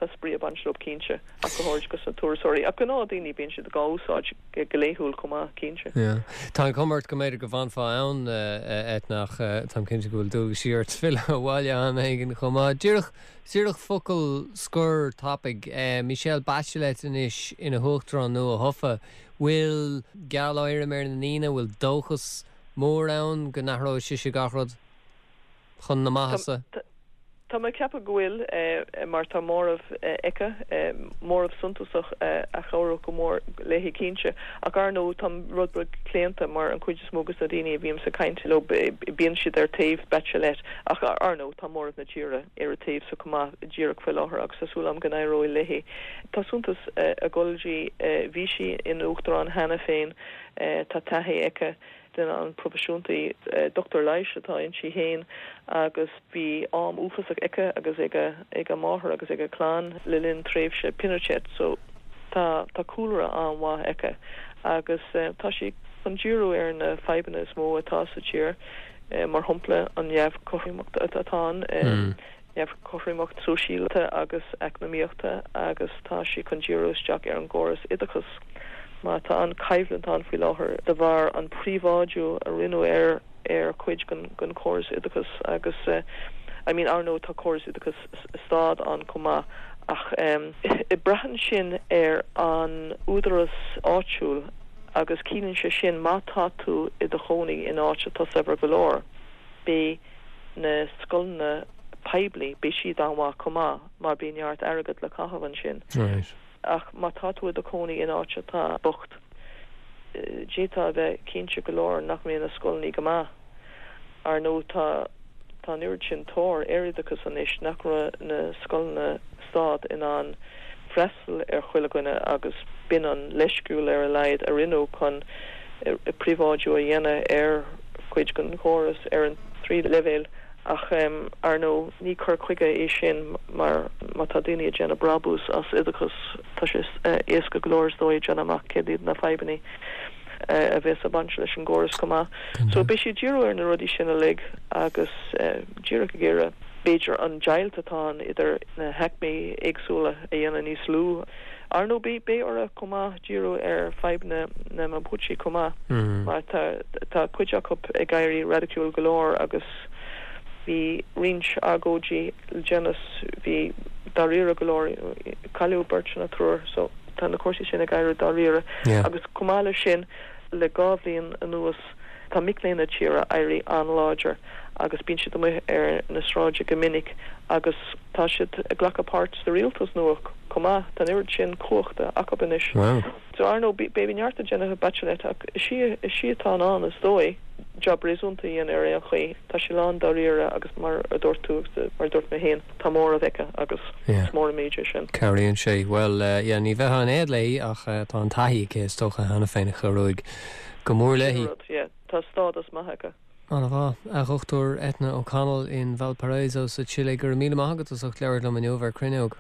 tá spraoi ag baint leo cinnte, ach go háirid dos na turasóirí. Ach gnáthdhaoine, bíonn siad dhá úsáid go laethúil chomh maith, cinnte. Yeah. Tá an chuma ort go mb'fhéidir go bhfanfá ann, Eithne, ach táim cinnte go bhfuil dualgaisí ort filleadh abhaile am éigin chomh maith. Díreach, díreach focal scoir tapaidh. Michelle Bachelet anois ina huachtarán nua thofa. Bhfuil geal-éirim ar na ndaoine? Bhfuil dóchas mór ann go n-athróidh sise gach rud? chun na maitheasa? Tá mé ag ceapadh go bhfuil, mar tá móramh aici, móramh suntasach a chabhródh go mór léi cinnte. Ach ar ndóigh, táim rud beag claonta mar an chuid is mó dos na daoine a bhímse ag caint leo, bíonn siad ar taobh Bachelet. Ach ar ndóigh, tá móramh na tíre ar a taobhsa chomh maith díreach faoi láthair agus tá súil agam go n-éireoidh léi. Tá suntas ag dul di, bhí sí ina uachtarán cheana féin, tá taithí aici. Duine an-proifisiúnta í. Dochtúir leighis atá inti féin agus bhí am uafásach aici agus ag a máthair agus ag a clann le linn tréimhse Pinochet so tá tá cúlra an-mhaith aici agus tá sí chun díriú ar na fadhbanna is mó atá sa tír, mar shampla an neamhchothromacht atá ann. neamhchothromacht sóisialta agus eacnamaíochta agus tá sí chun díriú isteach ar an gcóras oideachais mar tá an-choimhlint ann faoi láthair de bharr an príobháidiú a rinneadh ar ar chuid den den chóras oideachais agus I mean ar ndóigh tá córas oideachais stáit ann chomh maith ach braitheann sin ar an údaras áitiúil agus ciallaíonn sé sin má tá tú i do chónaí in áit atá saibhir go leor beidh na scoileanna poiblí, beidh siad an-mhaith chomh maith mar bíonn neart airgead le caitheamh ansin. Ach má tá tú i do chónaí in áit atá bocht, d'fhéadfá a bheith cinnte go leor nach mbeidh na scoileanna go maith. Ar ndóigh tá tá an oiread sin tóir ar oideachas anois nach raibh na scoileanna stáit in ann freastal ar chuile dhuine agus b'in an leithscéal ar a laghad a rinneadh chun príobháidiú a dhéanamh ar chuid den chóras ar an trí leibhéal ach ar ndóigh ní cur chuige é sin mar má tá daoine ag déanamh brabús as oideachas tá sé éasca go leor is dóigh déanamh amach céard iad na fadhbanna a bheas ag baint leis an gcóras chomh maith. So beidh sí ag díriú ar na rudaí sin uilig agus díreach ag iarraidh b'fhéidir an deighilt atá ann idir na haicmí éagsúla a dhéanamh níos lú. Ar ndóigh beidh uirthi chomh maith díriú ar fadhbanna na Mapuche chomh maith mar tá tá cuid acu ag éirí raidiciúil go leor agus bhí roinnt agóidí le déanaí, bhí dáiríre go leor, cailleadh beirt nó triúr so tá na cúrsaí sin ag éirí dáiríre agus chomh maith leis sin le 2 bhliain anuas tá mic léinn na tíre éirí an-láidir agus bíonn siad amuigh ar na sráide go minic agus tá siad ag glacadh páirt sa rialtas nua chomh maith. Tá an oiread sin cumhachta acu anois. So ar ndóigh beidh neart le déanamh ag Bachelet ach is í is í atá in ann is dóigh jab réasúnta a dhéanamh ar aon chaoi. Tá sí lán dáiríre agus mar a dúirt tú agus mar a dúirt mé féin tá móramh aici agus is mór an méid é sin. Cabhraíonn sé. Bhuel yeah ní bheifeá in éad léi ach tá an taithí aici is dócha cheana féin a chabhróidh go mór léi. Sin an rud, yeah. Tá stádas maith aici. An-mhaith. A Dhochtúir Eithne O'Connell in Valparaiso sa tSile, go raibh míle maith agat as ucht labhairt liom inniu ar Cruinneog.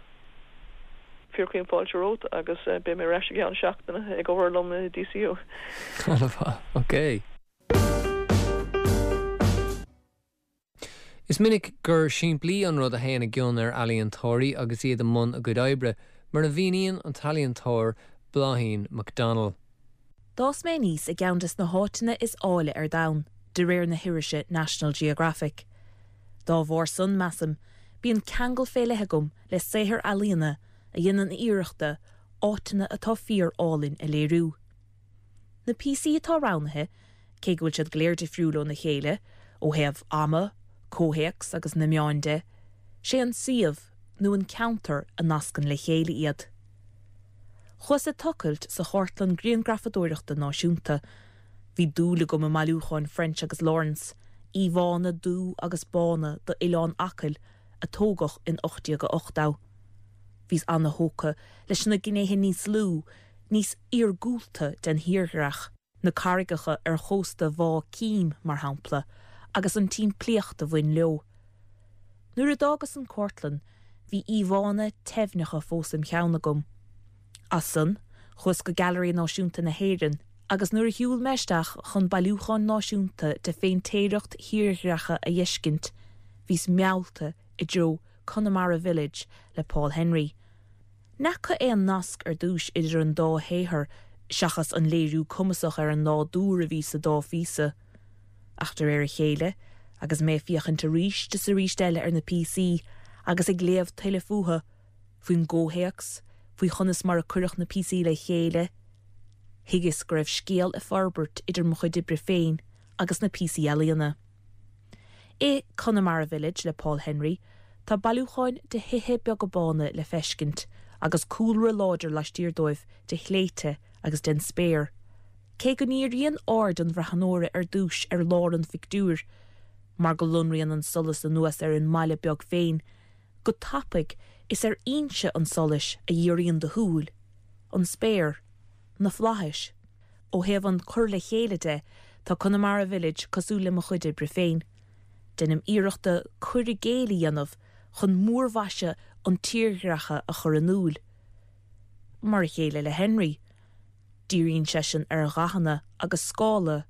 Fíorchaoin fáilte romhat agus beidh mé ar ais i gceann seachtaine ag obair liom i DCU. An-mhaith. Ok. Is minic gur simplí an rud a théann i gcion ar ealaíontóirí agus iad i mbun a gcuid oibre, mar a mhíníonn an t-ealaíontóir Bláithín McDonnell. D'fhás mé aníos i gceann des na háiteanna is áille ar domhan, de réir na hirise National Geographic. Dá bharr san, measaim, bíonn ceangal fé leith agam le saothair ealaíona a dhéanann iarracht áiteanna atá fíor álainn a léiriú. Na píosaí atá roghnaithe, cé go bhfuil siad go léir difriúil óna chéile, ó thaobh ama, comhthéacs agus na meáin de, sé an suíomh nó an ceantar a nascann le chéile iad. Chuas ag tochailt sa Chartlann Grianghrafadóireachta Náisiúnta. Bhí dúil agam i mbailiúcháin French agus Lawrence, íomhánna dubh agus bána d'Oileán Acaill a tógadh in 1880. Bhíos ana-thógtha leis na gnéithe níos lú, níos iargúlta den thírdhreach, na carraigeacha ar chósta Bhá Cím, mar shampla, agus an tsimplíocht a bhain leo. Nuair a d'fhágas an chartlann, bhí íomhánna teimhneacha fós im cheann agam. As san, chuas go Gailearaí Náisiúnta na hÉireann agus nuair a shiúil mé isteach chun bailiúchán náisiúnta de phéintéireacht thírdhreacha a fheiscint, bhíos meallta i dtreo Connemara Village le Paul Henry. N'fheaca aon nasc ar dtúis idir an dá shaothar seachas an léiriú cumasach ar an nádúr a bhí sa dá phíosa. Ach de réir a chéile, agus mé ag féachaint arís is arís eile ar na píosaí agus ag léamh tuilleadh fúthu, faoin gcomhthéacs, faoi chonas mar a cuireadh na píosaí le chéile, thuigeas go raibh scéal ag forbairt idir mo chuid oibre féin agus na píosaí ealaíona. I Connemara Village le Paul Henry, tá bailiúcháin de thithe beaga bána le feiscint agus cúlra láidir laistiar dóibh de shléibhte agus den spéir. Cé go ndíríonn aird an bhreathnóra ar dtús ar lár an phictiúir, mar go lonraíonn an solas anuas ar an mbaile beag féin, go tapaidh is ar fhoinse an tsolais a dhíríonn do shúil, an spéir, na flaithis. Ó thaobh an cur le chéile de, tá Connemara Village cosúil le mo chuid oibre féin. Deinim iarracht cur i gcéill a dhéanamh chun múrmhaise an tírdhreacha a chur in iúl. Mar a chéile le Henry, díríonn seisean ar dhathanna agus scála,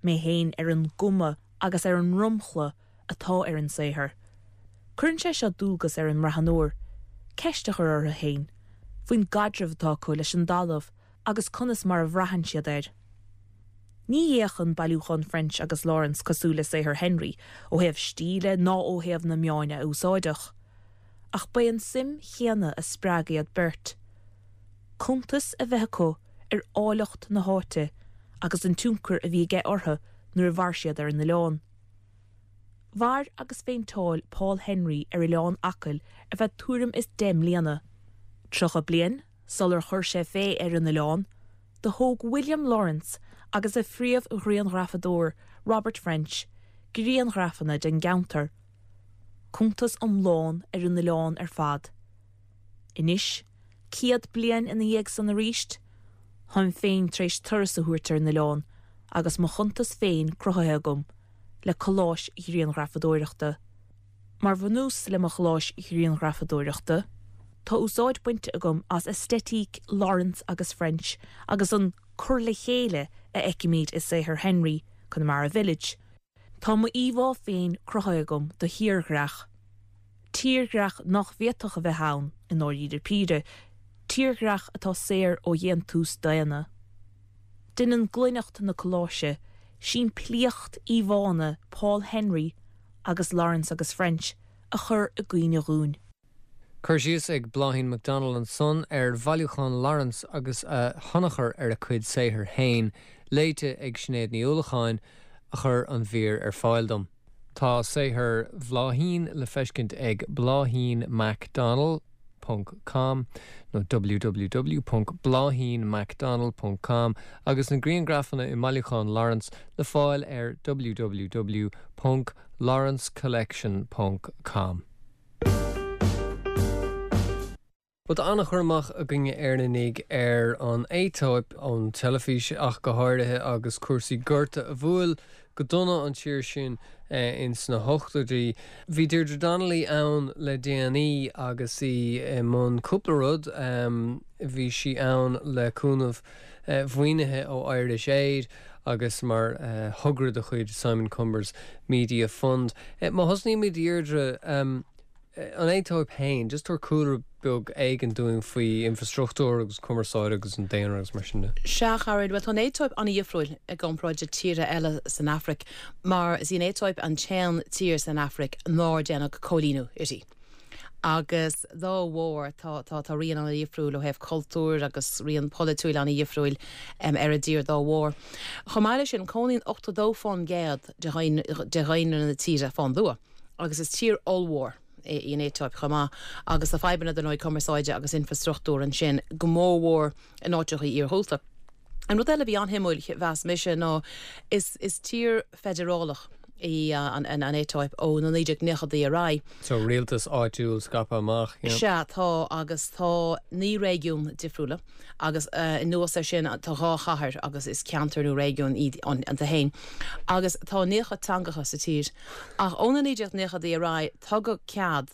mé féin ar an gcuma agus ar an ndromchla atá ar an saothar. Cuireann sé seo dualgas ar an mbreathnóir ceist a chur orthu féin faoin gcaidreamh atá acu leis an dtalamh agus conas mar a bhraitheann siad air. Ní fhéachann bailiúchán French agus Lawrence cosúil le saothar Henry ó thaobh stíle ná ó thaobh na meáin a úsáideadh. Ach ba é an suim chéanna a spreag iad beirt. Cuntas a bheith acu ar áilleacht na háite agus an tionchar a bhí aige orthu nuair a mhair siad ar an oileán. Mhair agus phéinteáil Paul Henry ar Oileán Acaill ar feadh tuairim is 10 mbliana. 30 bliain sular chuir sé fé ar an oileán, do thóg William Lawrence agus a phríomh-ghrianghrafadóir Robert French grianghrafanna den gceantar, cuntas iomlán ar an oileán ar fad. Anois, 100 bliain ina dhiaidh san arís, táim féin tar éis turas a thabhairt ar an oileán agus mo chuntas féin cruthaithe agam le colláis ghrianghrafadóireachta. Mar bhunús le mo cholláis ghrianghrafadóireachta, tá úsáid bainte agam as aestéitic Lawrence agus French agus an cur le chéile a fheicimid i saothar Henry, Connemara Village. Tá mo íomhá féin cruthaithe agam do thírdhreach. Tírdhreach nach bhféadfadh a bheith ann, i ndáiríre píre, tírdhreach atá saor ó dhéantús daonna. Déanann glaineacht na colláise, simplíocht íomhánna Paul Henry agus Lawrence agus French a chur i gcuimhne dhúinn. Cur síos ag Bláithín McDonald ansan ar bhailiúchán Lawrence agus a thionchar ar a cuid saothair féin, léite ag Sinéad Ní Uallacháin, a chuir an mhír ar fáil dom. Tá saothar Bhláithín le feiscint ag bláithínmacdonald ponc com nó www ponc bláithínmacdonald ponc com agus na grianghrafanna i mbailiúchán Lawrence le fáil ar www ponc lawrencecollection ponc com. Bhuel, tá an-chur amach againne Éireannaigh ar an Aetóip, ón teilifís ach go háirithe, agus cúrsaí gorta a bhuail go dona an tír sin ins na hochtóidí. Bhí Deirdre Donnelly ann le déanaí agus í i mbun cúpla rud. Bhí sí ann le cúnamh mhaoinithe ó Irish Aid agus mar thogra de chuid Simon Cumbers Media Fund. Má thosnaímid, Deirdre, An Aetóip féin, just tabhair cúlra. beag éigin dúinn faoi infrastruchtúr agus cumarsáid agus an daonra agus mar sin de. Sea, a Charúil, bhuel tá an Aetóip an-dhifriúil i gcomparáid le tíortha eile san Afraic mar is í an Aetóip an t-aon tír san Afraic nár déanadh cóilíniú uirthi. Agus dá bharr tá, tá, tá rian an-dhifriúil ó thaobh cultúir agus rian polaitiúil an-dhifriúil ar an dtír dá bharr. Chomh maith leis sin, cónaíonn 82% de dhaonra na tíre fán dtuath agus is tír ollmhór í an Aetóip chomh maith, agus tá fadhbanna dar ndóigh cumarsáide agus infrastruchtúir ansin, go mórmhór in áiteachaí iarghúlta. An rud eile a bhí an-shuimiúil, mheas mise, ná is is tír feidearálach í an Aetóip ó na 1990idí ar aghaidh. So rialtas áitiúil scaipthe amach, yeah. Sea, tá, agus tá 9 réigiún difriúla. Agus anuas air sin tá 2 chathair agus is ceantar nó réigiún iad iontu féin. Agus tá 90 teangacha sa tír. Ach ó na 1990idí ar aghaidh tugadh cead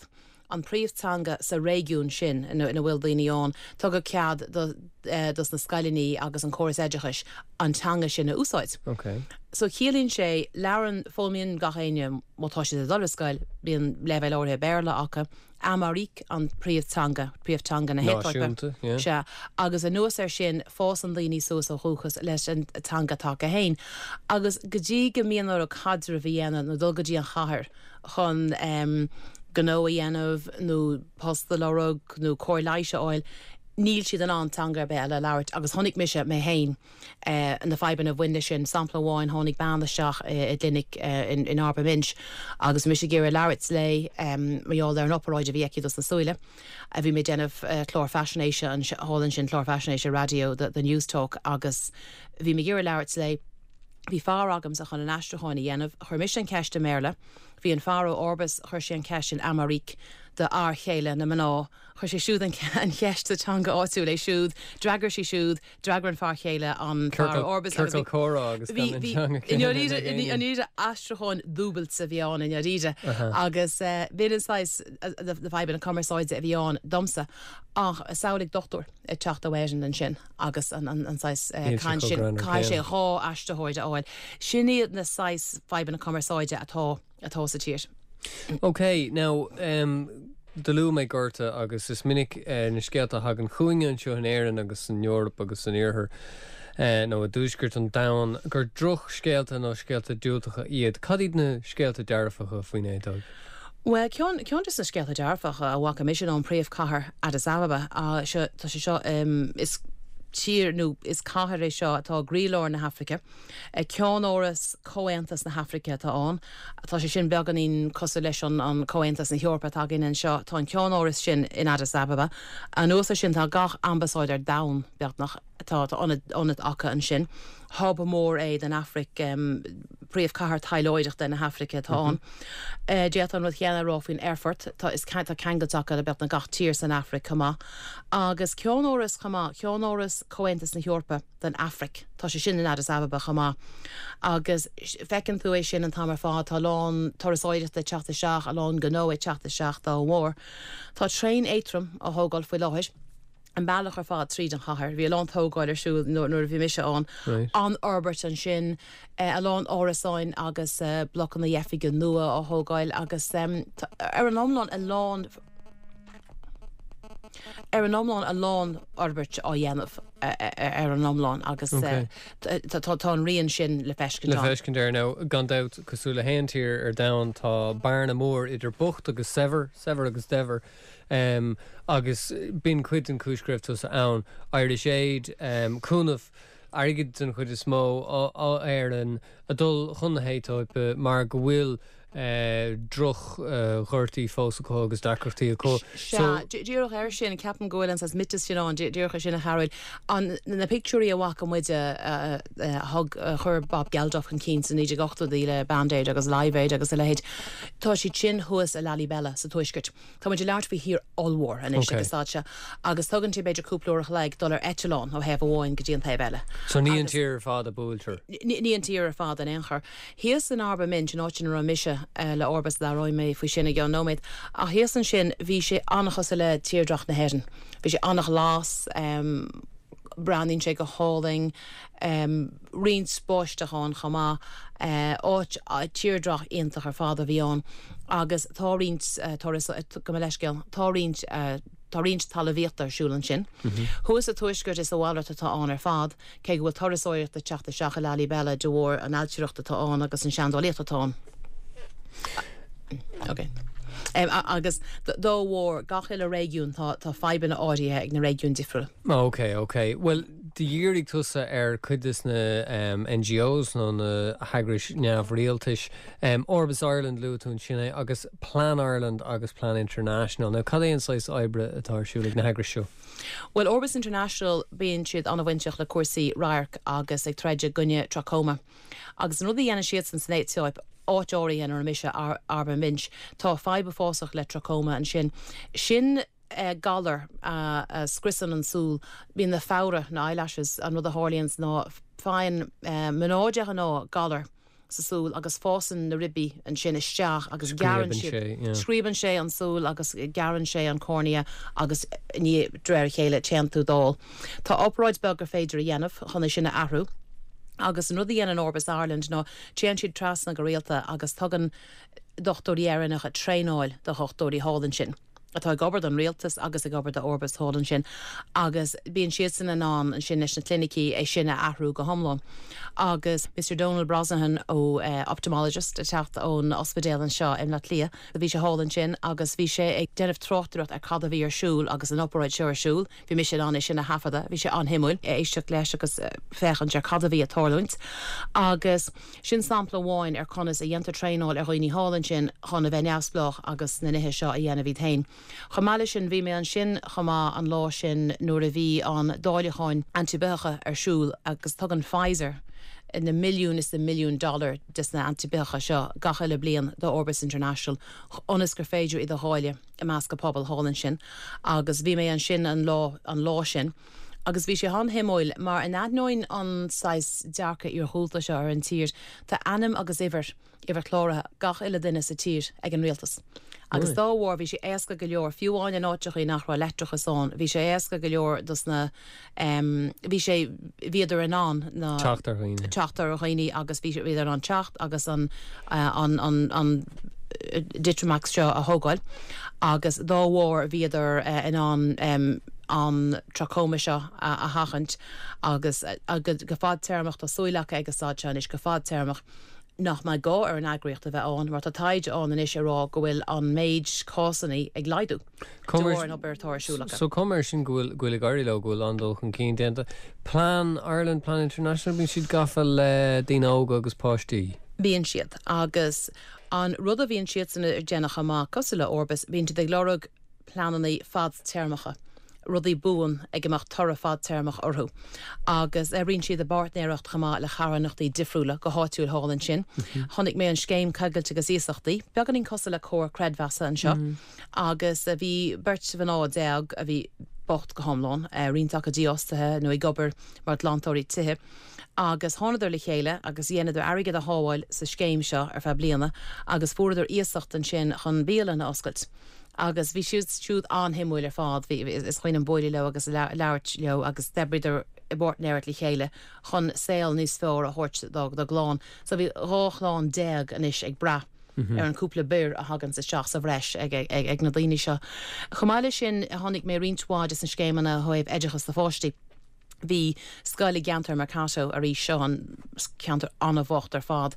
an príomhteanga sa réigiún sin ina bhfuil daoine ann, tugadh cead dos na scoileanna agus an córas oideachais an teanga sin a úsáid. So ciallaíonn sé, labhrann, foghlaimíonn gach éinne má tá siad ag dul ar scoil, bíonn leibhéal áirithe Béarla acu. Amharic an príomhteanga, príomhteanga na hAetóipe. Náisiúnta, yeah. Sea. Agus anuas air sin, fásann daoine suas ó dhúchas leis an teanga atá acu féin. Agus go dtí go mbíonn orthu caidreamh a dhéanamh nó dul go dtí an chathair chun gnó a dhéanamh nó post a lorg nó cóir leighis a fháil, níl siad in ann teanga ar bith eile a labhairt. Agus chonaic mise mé féin na fadhbanna a bhain leis sin. Sampla amháin, tháinig bean isteach i gclinic in Arba Minch agus bhí mise ag iarraidh labhairt léi mar gheall ar an oparáid a bhí aici dos na súile. Bhí mé ag déanamh clár faisnéise thall ansin, clár faisnéise raidió do Newstalk agus bhí mé ag iarraidh labhairt léi. Bhí fear agamsa chun an aistriúcháin a dhéanamh. Chuir mise an ceist i mBéarla. Bhí an fear ó Orbis, chuir sé an ceist in Amharic do fhear chéile na mná. Chuir sé siúd an cheist sa teanga áitiúil é siúd, d'fhreagair sí siúd, d'fhreagair an fear chéile an fear ó Orbis agus bhí. Ciorcal comhrá agus gan an teanga céanna ag éinne. I ndáiríre aistriúchán dúbailte a bhí ann i ndáiríre agus b'in an saghas na fadhbanna cumarsáide a bhí ann domsa. Ach samhlaigh dochtúir ag teacht ó Éirinn ansin agus an saghas caint sin, caithfidh sé 2 aistritheoir a fháil. Sin iad na saghas fadhbanna cumarsáide atá. atá sa tír. Ok, now, do luaigh mé gorta agus is minic na scéalta a thagann chugainne anseo in Éirinn agus san Eoraip agus san Iarthar nó i dtuaisceart an domhain gur drochscéalta nó scéalta diúltacha iad. Cad iad na scéalta dearfacha faoin Aetóip? Bhuel, ceann de na scéalta dearfacha a bhfaca mise ná an príomhchathair Addis Ababa. Seo, tá sé seo, is tír nó is cathair é seo atá i gcroílár na hAfraice. Ceannáras Comhaontas na hAfraice atá ann. Tá sé sin beagáinín cosúil leis an Comhaontas na hEorpa atá againn anseo. Tá an ceannáras sin in Addis Ababa. Anuas air sin tá gach ambasáid ar domhan, beagnach, tá ionad acu ansin. Hub mór é don Afraic, príomhchathair taidhleoireachta na hAfraice atá ann. D'fhéadfá an rud chéanna a rá faoin aerfort. Tá tá ceangailt acu le beagnach gach tír san Afraic chomh maith. Agus ceannáras chomh maith, ceannáras Comhaontas na hEorpa. don Afraic. Tá sé sin in Addis Ababa chomh maith. Agus feiceann tú é sin an t-am ar fad, tá a lán turasóireachta ag teacht isteach, a lán gnó ag teacht isteach dá bharr. Tá traein éadtrom á thógáil faoi láthair, an bealach ar fad tríd an chathair. Bhí a lán tógáil ar siúl nuair a bhí mise ann. An-fhorbairt ansin, a lán árasáin agus blocanna oifige nua á thógáil agus ar an iomlán a lán, Ar an iomlán, a lán forbairt á dhéanamh ar an iomlán agus tá an rian sin le feiscint ann. Le feiscint air. Now, gan dabht, cosúil le haon tír ar domhan, tá bearna mór idir bocht agus saibhir, saibhir agus daibhir, agus b'in cuid den chúis go raibh tusa ann. Irish Aid, cúnamh airgid den chuid is mó ó Éirinn ag dul chun na hAetóipe mar go bhfuil droch-ghortaí fós acu agus deacrachtaí acu. Sea, díreach air sin, ceapaim go bhfuil an saghas miotas sin ann, díreach air sin a Chearúil, an, na pictiúirí a bhfaca muid a thug, a chuir Bob Geldof chun cinn sna 1980idí le Band Aid agus Live Aid agus a leithéid, tá siad sin thuas i Lalibela sa tuaisceart. Tá muid ag labhairt faoi thír ollmhór anois ag an staid seo agus tugann sé b'fhéidir cúpla uair a chloig dul ar eitleán ó thaobh amháin go dtí an taobh eile. So ní an tír ar fad a buailtear? Ní an tír ar fad in aon chor. Thíos in Arba Minch, an áit ina raibh mise le Orbis, labhróidh mé faoi sin i gceann nóiméad, ach thíos ansin bhí sé an-chosúil le tírdhreach na hÉireann. Bhí sé an-ghlas, breathnaíonn sé go hálainn, roinnt báisteach ann chomh maith, áit, tírdhreach iontach ar fad a bhí ann agus tá roinnt turas, gabh mo leithscéal, tá roinnt. Tá roinnt talmhaíochta ar siúl ansin. Thuas sa tuaisceart is a mhalairt atá ann ar fad, cé go bhfuil turasóireacht ag teacht isteach i Lalibela de bharr an ailtireacht atá ann agus an seandálaíocht atá ann. Ok. Agus dá bharr, gach uile réigiún, tá tá fadhbanna áirithe ag na réigiúin difriúla. Ok, ok. Bhuel, do dhírigh tusa ar cuid des na NGOs nó na heagrais neamhrialtais. Orbis Ireland, luaigh tú ansin é, agus Plan Ireland agus Plan International. Now, cad é an saghas oibre atá ar siúl ag na heagrais seo? Bhuel, Orbis International, bíonn siad an-bhainteach le cúrsaí radhairc agus ag troid i gcoinne trachoma. Agus an rud a dhéanann siadsan san Aetóip, áit áirithe ina raibh mise, Arba Minch, tá fadhb uafásach le trachoma ansin. Sin galar a scriosann an tsúil. Bíonn na fabhra, na eyelashes, an rud a tharlaíonns ná faigheann mná de ghnáth galar sa súil agus fásann na ribí ansin isteach agus gearrann siad, scríobann sé an súil agus gearrann sé an cornea agus i ndiaidh, de réir a chéile, téann tú dall. Tá obráid beag gur féidir a dhéanamh chun é sin a athrú agus an rud a dhéanann Orbis Ireland ná téann siad trasna go rialta agus tugann dochtúirí Éireannacha traenáil do dhochtúirí thall ansin. atá ag obair don rialtas agus ag obair do Orbis thall ansin agus bíonn siadsan in ann ansin leis na clinicí é sin a athrú go hiomlán. Agus Mr Donal Brosnahan ó ophthalmologist ag teacht ón ospidéal anseo i mBleá Cliath, bhí sé thall ansin agus bhí sé ag déanamh tráchtaireacht ar cad a bhí ar siúl agus an obráid seo ar siúl. Bhí mise in ann é sin a thaifeadadh. Bhí sé an-shuimiúil éisteacht leis agus féachaint ar cad a bhí ag tarlúint. Agus sin sampla amháin ar conas a dhéantar traenáil ar dhaoine thall ansin chun a bheith neamhspleách agus na nithe seo a dhéanamh iad féin. Chomh maith leis sin, bhí mé ansin chomh maith an lá sin nuair a bhí an dáileacháin antaibhitheacha ar siúl agus tugann Pfizer na milliúin is na milliúin dollar des na antaibhitheacha seo gach uile bliain do Orbis International ionas gur féidir iad a dháileadh. i measc an pobail thall ansin agus bhí mé ansin an lá an lá sin agus bhí sé an-shuimiúil mar in ainneoin an saghas dearcadh iarghúlta seo ar an tír tá ainm agus uimhir, uimhir chláraithe gach uile duine sa tír ag an rialtas agus dá bharr bhí sé éasca go leor fiú amháin in áiteachaí nach raibh leictreachas ann bhí sé éasca go leor dos na bhí sé, bhíodar in ann na. Teacht ar dhaoine. Teacht ar dhaoine agus bhí, bhíodar in ann teacht agus an, an, an, an Ditramax seo a thógáil agus dá bharr bhíodar in ann an trachoma seo a sheachaint agus go fadtéarmach, tá súil acu ag an staid seo anois, go fadtéarmach nach mbeidh gá ar an eagraíocht a bheith ann mar tá taighde ann anois ag rá go bhfuil an méid cásanna ag laghdú. de bharr an obair atá ar siúl acu. So cuma air sin go bhfuil, go bhfuil ag éirí leo, go bhfuil an-dul chun cinn déanta. Plan Ireland, Plan International, bíonn siad gafa le daoine óga agus páistí. Bíonn siad. Agus an rud a bhíonn siadsan ag déanamh chomh maith, cosúil le Orbis, bíonn siad ag lorg pleananna fadtéarmacha, rudaí buan ag a mbeadh toradh fadtéarmach orthu. Agus oibríonn siad i bpáirtnéireacht chomh maith le carthanachtaí difriúla go háitiúil thall ansin. Chonaic mé an scéim coigilte agus iasachtaí, beagáinín cosúil le Comhar Creidmheasa anseo. Agus bhí beirt mhná a bhí bocht go hiomlán, roinnt acu dífhostaithe nó ag obair mar ghlantóirí tithe, agus thánadar le chéile agus dheineadar airgead a shábháil sa scéim seo ar feadh bliana agus fuaireadar iasacht ansin chun bialann a oscailt. Agus bhí siad siúd an-shuimiúil ar fad, bhí, is cuimhin liom bualadh leo agus labhairt leo agus d'oibríodar i bpáirtnéireacht le chéile chun saol níos fearr a thabhairt dá gclann. So bhí 12 chlann anois ag brath. ar an cúpla birr a thaganns isteach sa bhreis ag na daoine seo. Chomh maith leis sin, chonaic mé roinnt mhaith de na scéimeanna ó thaobh oideachas do pháistí. Bhí scoil i gceantar Mercato arís, seo an ceantar an-bhocht ar fad,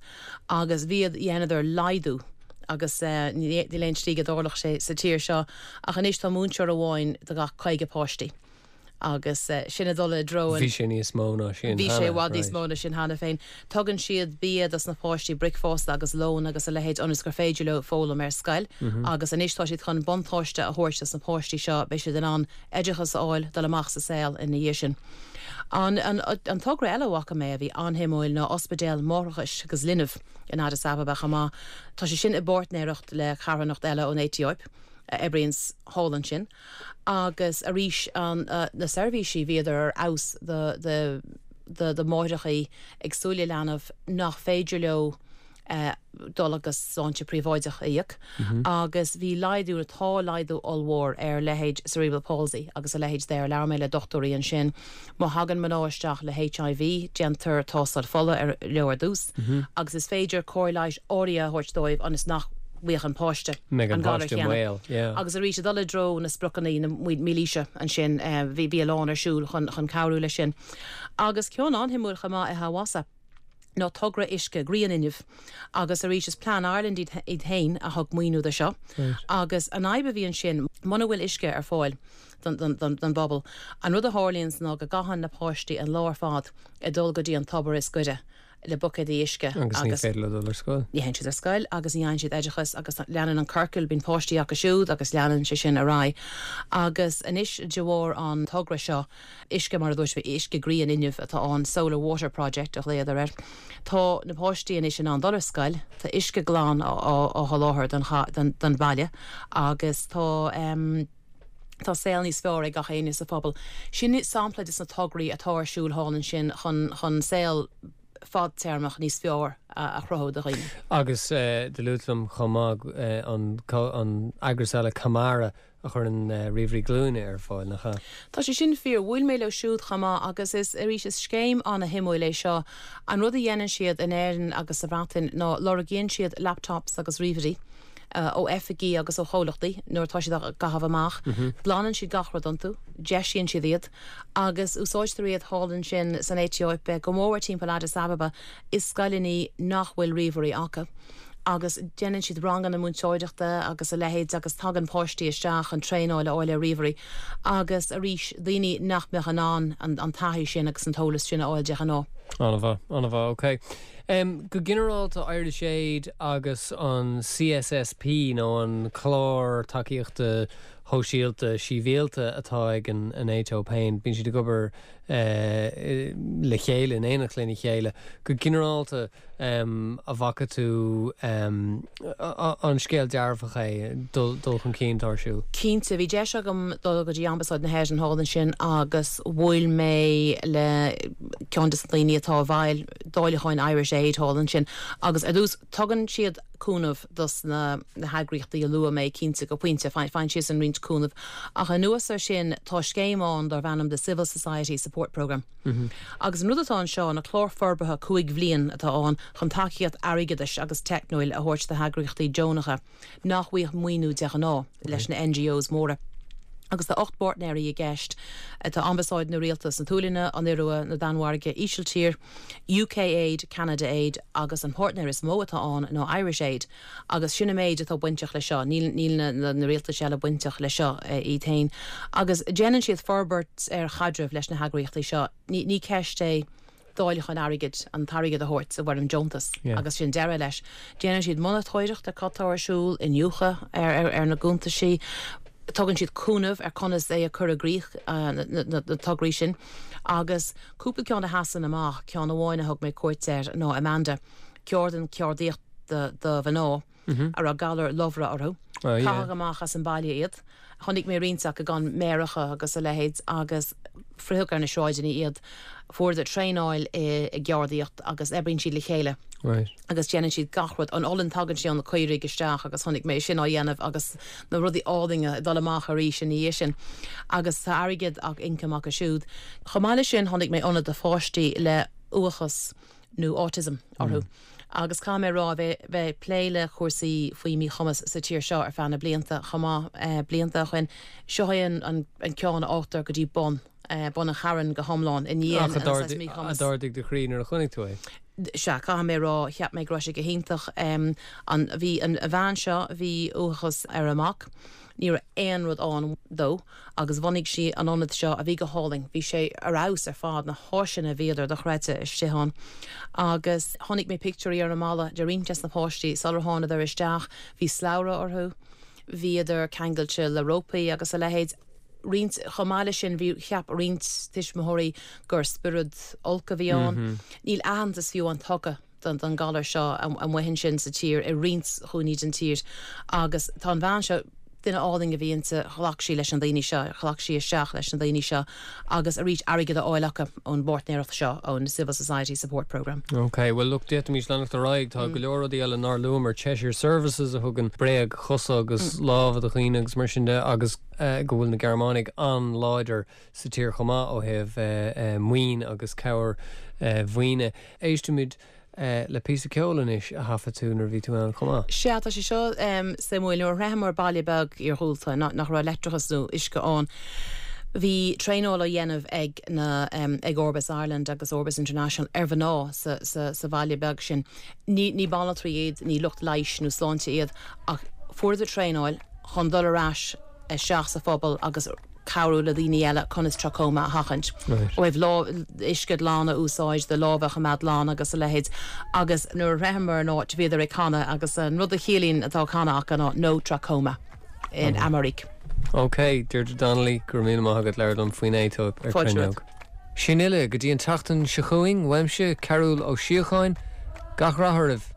agus bhíod, dheineadar laghdú agus níl aon tslí go dtarlódh sé sa tír seo ach anois tá múinteoir amháin do gach 50 páistí. Agus sin ag dul i dtreo an. Bhí sé níos mó ná sin Bhí sé i bhfad níos mó ná sin cheana féin. Tugann siad bia dos na páistí, bricfeasta agus lón agus a leithéid ionas gur féidir leo foghlaim ar scoil. Agus anois tá siad chun buntáiste a thabhairt dos na páistí seo, beidh siad in ann oideachas a fháil, dul amach sa saol ina dhiaidh sin. An an togra eile a bhfaca mé a bhí an-shuimiúil ná ospidéal máithreachais agus linbh in Addis Ababa chomh maith. Tá sé sin i bpáirtnéireacht le carthanacht eile ón Aetóip a oibríonns thall ansin. Agus arís na seirbhísí, bhíodar ar fheabhas do do máithreachaí ag súil le leanbh nach féidir leo dul agus sláinte príobháideach a íoc. Agus bhí laghdú, nó tá laghdú ollmhór ar leithéid cerebral palsy agus a leithéid there. Labhair mé le dochtúirí ansin. Má thagann mná isteach le HIV, déantar tástáil fola leo ar dtús agus is féidir cóir leighis áirithe a thabhairt dóibh ionas nach. bhfaigheadh an páiste an galar céanna. Agus arís, ag dul i dtreo na spriocanna na mílaoise ansin, bhí bhí a lán ar siúl chun chun cabhrú leis sin. Agus ceann an-shuimiúil chomh maith i Hawassa ná togra uisce grianfhuinnimh agus arís is Plan Ireland iad iad féin a thug maoiniú do seo. Agus an fhadhb a bhí ansin, muna bhfuil uisce ar fáil don don don don bpobal, an rud a tharlaíonns ná go gcaitheann na páistí an lá ar fad ag dul go dtí an tobar is gaire le buicéadaí uisce Agus ní féidir leo dul ar scoil. Ní théann siad ar scoil agus ní fhaigheann siad oideachas agus leanann an ciorcal, bíonn páistí acu siúd agus leanann sé sin ar aghaidh. Agus anois de bharr an togra seo, uisce mar a dúirt mé, uisce grianfhuinnimh atá ann, Solar Water Project a ghlaodar air, tá na páistí anois in ann dul ar scoil, tá uisce glan á sholáthar don bhaile agus tá. Tá saol níos fearr ag gach éinne sa phobal. Sin sampla des na tograí atá ar siúl thall ansin chun chun saol fadtéarmach níos fearr a chruthú do dhaoine. Agus do luaigh tú liom chomh maith an an eagras eile Camara a chuireann ríomhairí glúine ar fáil, nach ea? Tá sé sin fíor. Bhuail mé leo siúd chomh maith agus is, arís, is scéim ana-shuimiúil é seo. An rud a dhéanann siad in Éirinn agus sa Bhreatain ná lorgaíonn siad laptops agus ríomhairí. ó oifigí agus ó chomhlachtaí nuair atá siad á gcaitheamh amach. Glanann siad gach rud iontu, deisíonn siad iad agus úsáidtear iad thall ansin san Aetóip, go mór timpeall Addis Ababa, i scoileanna nach bhfuil ríomhairí acu. Agus déanann siad ranganna múinteoireachta agus a leithéid agus tagann páistí isteach chun traenáil a fháil ar ríomhairí agus arís daoine nach mbeadh in ann an taithí sin agus an t-eolas sin a fháil de ghnáth. An-mhaith, an-mhaith, ok. Go ginearálta, Irish Aid agus an CSSP, nó an Clár Tacaíochta Shóisialta Sibhialta atá ag an Aetóip féin, bíonn siad ag obair le chéile, in éineacht lena chéile. Go ginearálta, an bhfaca tú an scéal dearfach é, dul chun cinn atá ar siúl? Cinnte, bhí deis agam dul go dtí Ambasáid na hÉireann thall ansin agus bhuail mé le ceann de na daoine atá i bhfeighil dáileacháin Irish Aid thall ansin agus ar dtús tugann siad cúnamh dos na heagraíochtaí a luaigh mé, cinnte, go pointe, faigheann siadsan roinnt cúnaimh ach anuas ar sin tá scéim ann darb ainm The Civil Society Support Programme agus an rud atá anseo ná clár forbartha 5 bhliain atá ann chun tacaíocht airgeadais agus teicniúil a thabhairt do heagraíochtaí deonacha nach bhfaigheadh maoiniú de ghnáth leis na NGOs móra. Agus tá 8 bpáirtnéirí i gceist. Tá Ambasáid na Rialtas na tSualainne, an Iorua, na Danmhairge, Ísiltír, UK Aid, Canada Aid agus an páirtnéir is mó atá ann ná Irish Aid. Agus sin an méid atá bainteach leis seo. Níl níl na na rialtais eile bainteach leis seo iad féin. Agus déanann siad forbairt ar chaidreamh leis na heagraíochtaí seo. Ní ní ceist é dáileachán airgid, an t-airgead a thabhairt i bhfoirm deontas agus sin deireadh leis. Déanann siad monatóireacht ar cad tá ar siúl, iniúchadh ar na gcuntaisí, tugann siad cúnamh ar conas é a chur i gcrích, na tograí sin. Agus cúpla ceann a sheasann amach, ceann amháin a thug mé cuairt air ná Amanda, ceardlann ceardaíochta do mhná. a raibh galar lobhra orthu. Caitheadh amach as an baile iad. Chonaic mé roinnt acu gan méaracha agus a leithéid agus fritheadh ar na sráideanna iad. Fuaireadar traenáil i gceardaíocht agus oibríonn siad le chéile agus déanann siad gach rud. An olann tagann sé ó na caoirigh isteach agus chonaic mé sin á dhéanamh agus na rudaí álainn ag dul amach arís ina dhiaidh sin. Agus tá airgead ach ioncam acu siúd. Chomh maith leis sin chonaic mé ionad do pháistí le uathachas. nó autism orthu. Agus caithfidh mé a rá, bheith bheith ag plé le cúrsaí faoi mhíchumas sa tír seo ar feadh na blianta chomh maith, blianta ó shin, seo é an an an ceann a fhágtar go dtí bun, bun an chairn go hiomlán i ndiaidh an saghas míchumas. Ach a d'ardaigh do chroí nuair a chonaic tú é? Sea, caithfidh mé a rá, cheap mé go raibh sé go hiontach. An, bhí an bhean seo, bhí uathachas ar a mac, ní raibh aon rud ann dó. agus bhunaigh sí an ionad seo a bhí go hálainn. Bhí sé ar fheabhas ar fad, na háiseanna bhíodar dochreidte istigh ann. Agus chonaic mé pictiúirí ar an mballa de roinnt des na páistí sular thánadar isteach, bhí slabhra orthu, bhíodar ceangailte le rópaí agus a leithéid. Roinnt, chomh maith leis sin, bhí, cheap roinnt tuismitheoirí gur spiorad olc a bhí ann. Níl aitheantas fiú amháin tugtha. don galar seo amuigh ansin sa tír, i roinnt chúinní den tír. Agus tá an bhean seo, duine álainn a bhí inti, ghlac sí leis na daoine seo, ghlac sí isteach leis na daoine seo agus arís airgead a fháil acu ón bpáirtnéireacht seo, ón Civil Society Support Programme. Ok, bhuel look, d'fhéadfaimis leanacht ar aghaidh, tá go leor rudaí eile nár luamar, Cheshire Services a thugann bréag-chosa agus lámha do dhaoine agus mar sin de agus go bhfuil na Gearmánaigh an-láidir sa tír chomh maith ó thaobh maoin agus cabhair mhaoine. Éistfimid. le píosa ceoil anois a thaifead tú nuair a bhí tú ann chomh maith. Sea, tá sé seo suimiúil. Nuair a shroicheamar baile beag iarghúlta nach raibh leictreachas nó uisce ann, bhí traenáil á dhéanamh ag na ag Orbis Ireland agus Orbis International ar mhná sa sa sa bhaile beag sin. Ní ní banaltraí iad, ní lucht leighis nó sláinte iad, ach fuaireadar traenáil chun dul ar ais isteach sa phobal agus cabhrú le daoine eile conas trachoma a sheachaint. Ó thaobh lámh, uisce glan a úsáid, do lámha a choimeád glan agus a leithéid. Agus nuair a shroicheamar an áit bhíodar ag canadh agus an rud a chiallaíonn atá á chanadh acu ná No Trachoma in Amharic. Ok, Deirdre Donnelly, go raibh míle maith agat labhairt liom faoin Aetóip ar Fáilte Cruinneog. romhat. Sin uile go dtí an tseachtain seo chugainn, uaimse, Cearúll Ó Síocháin, gach rath oraibh!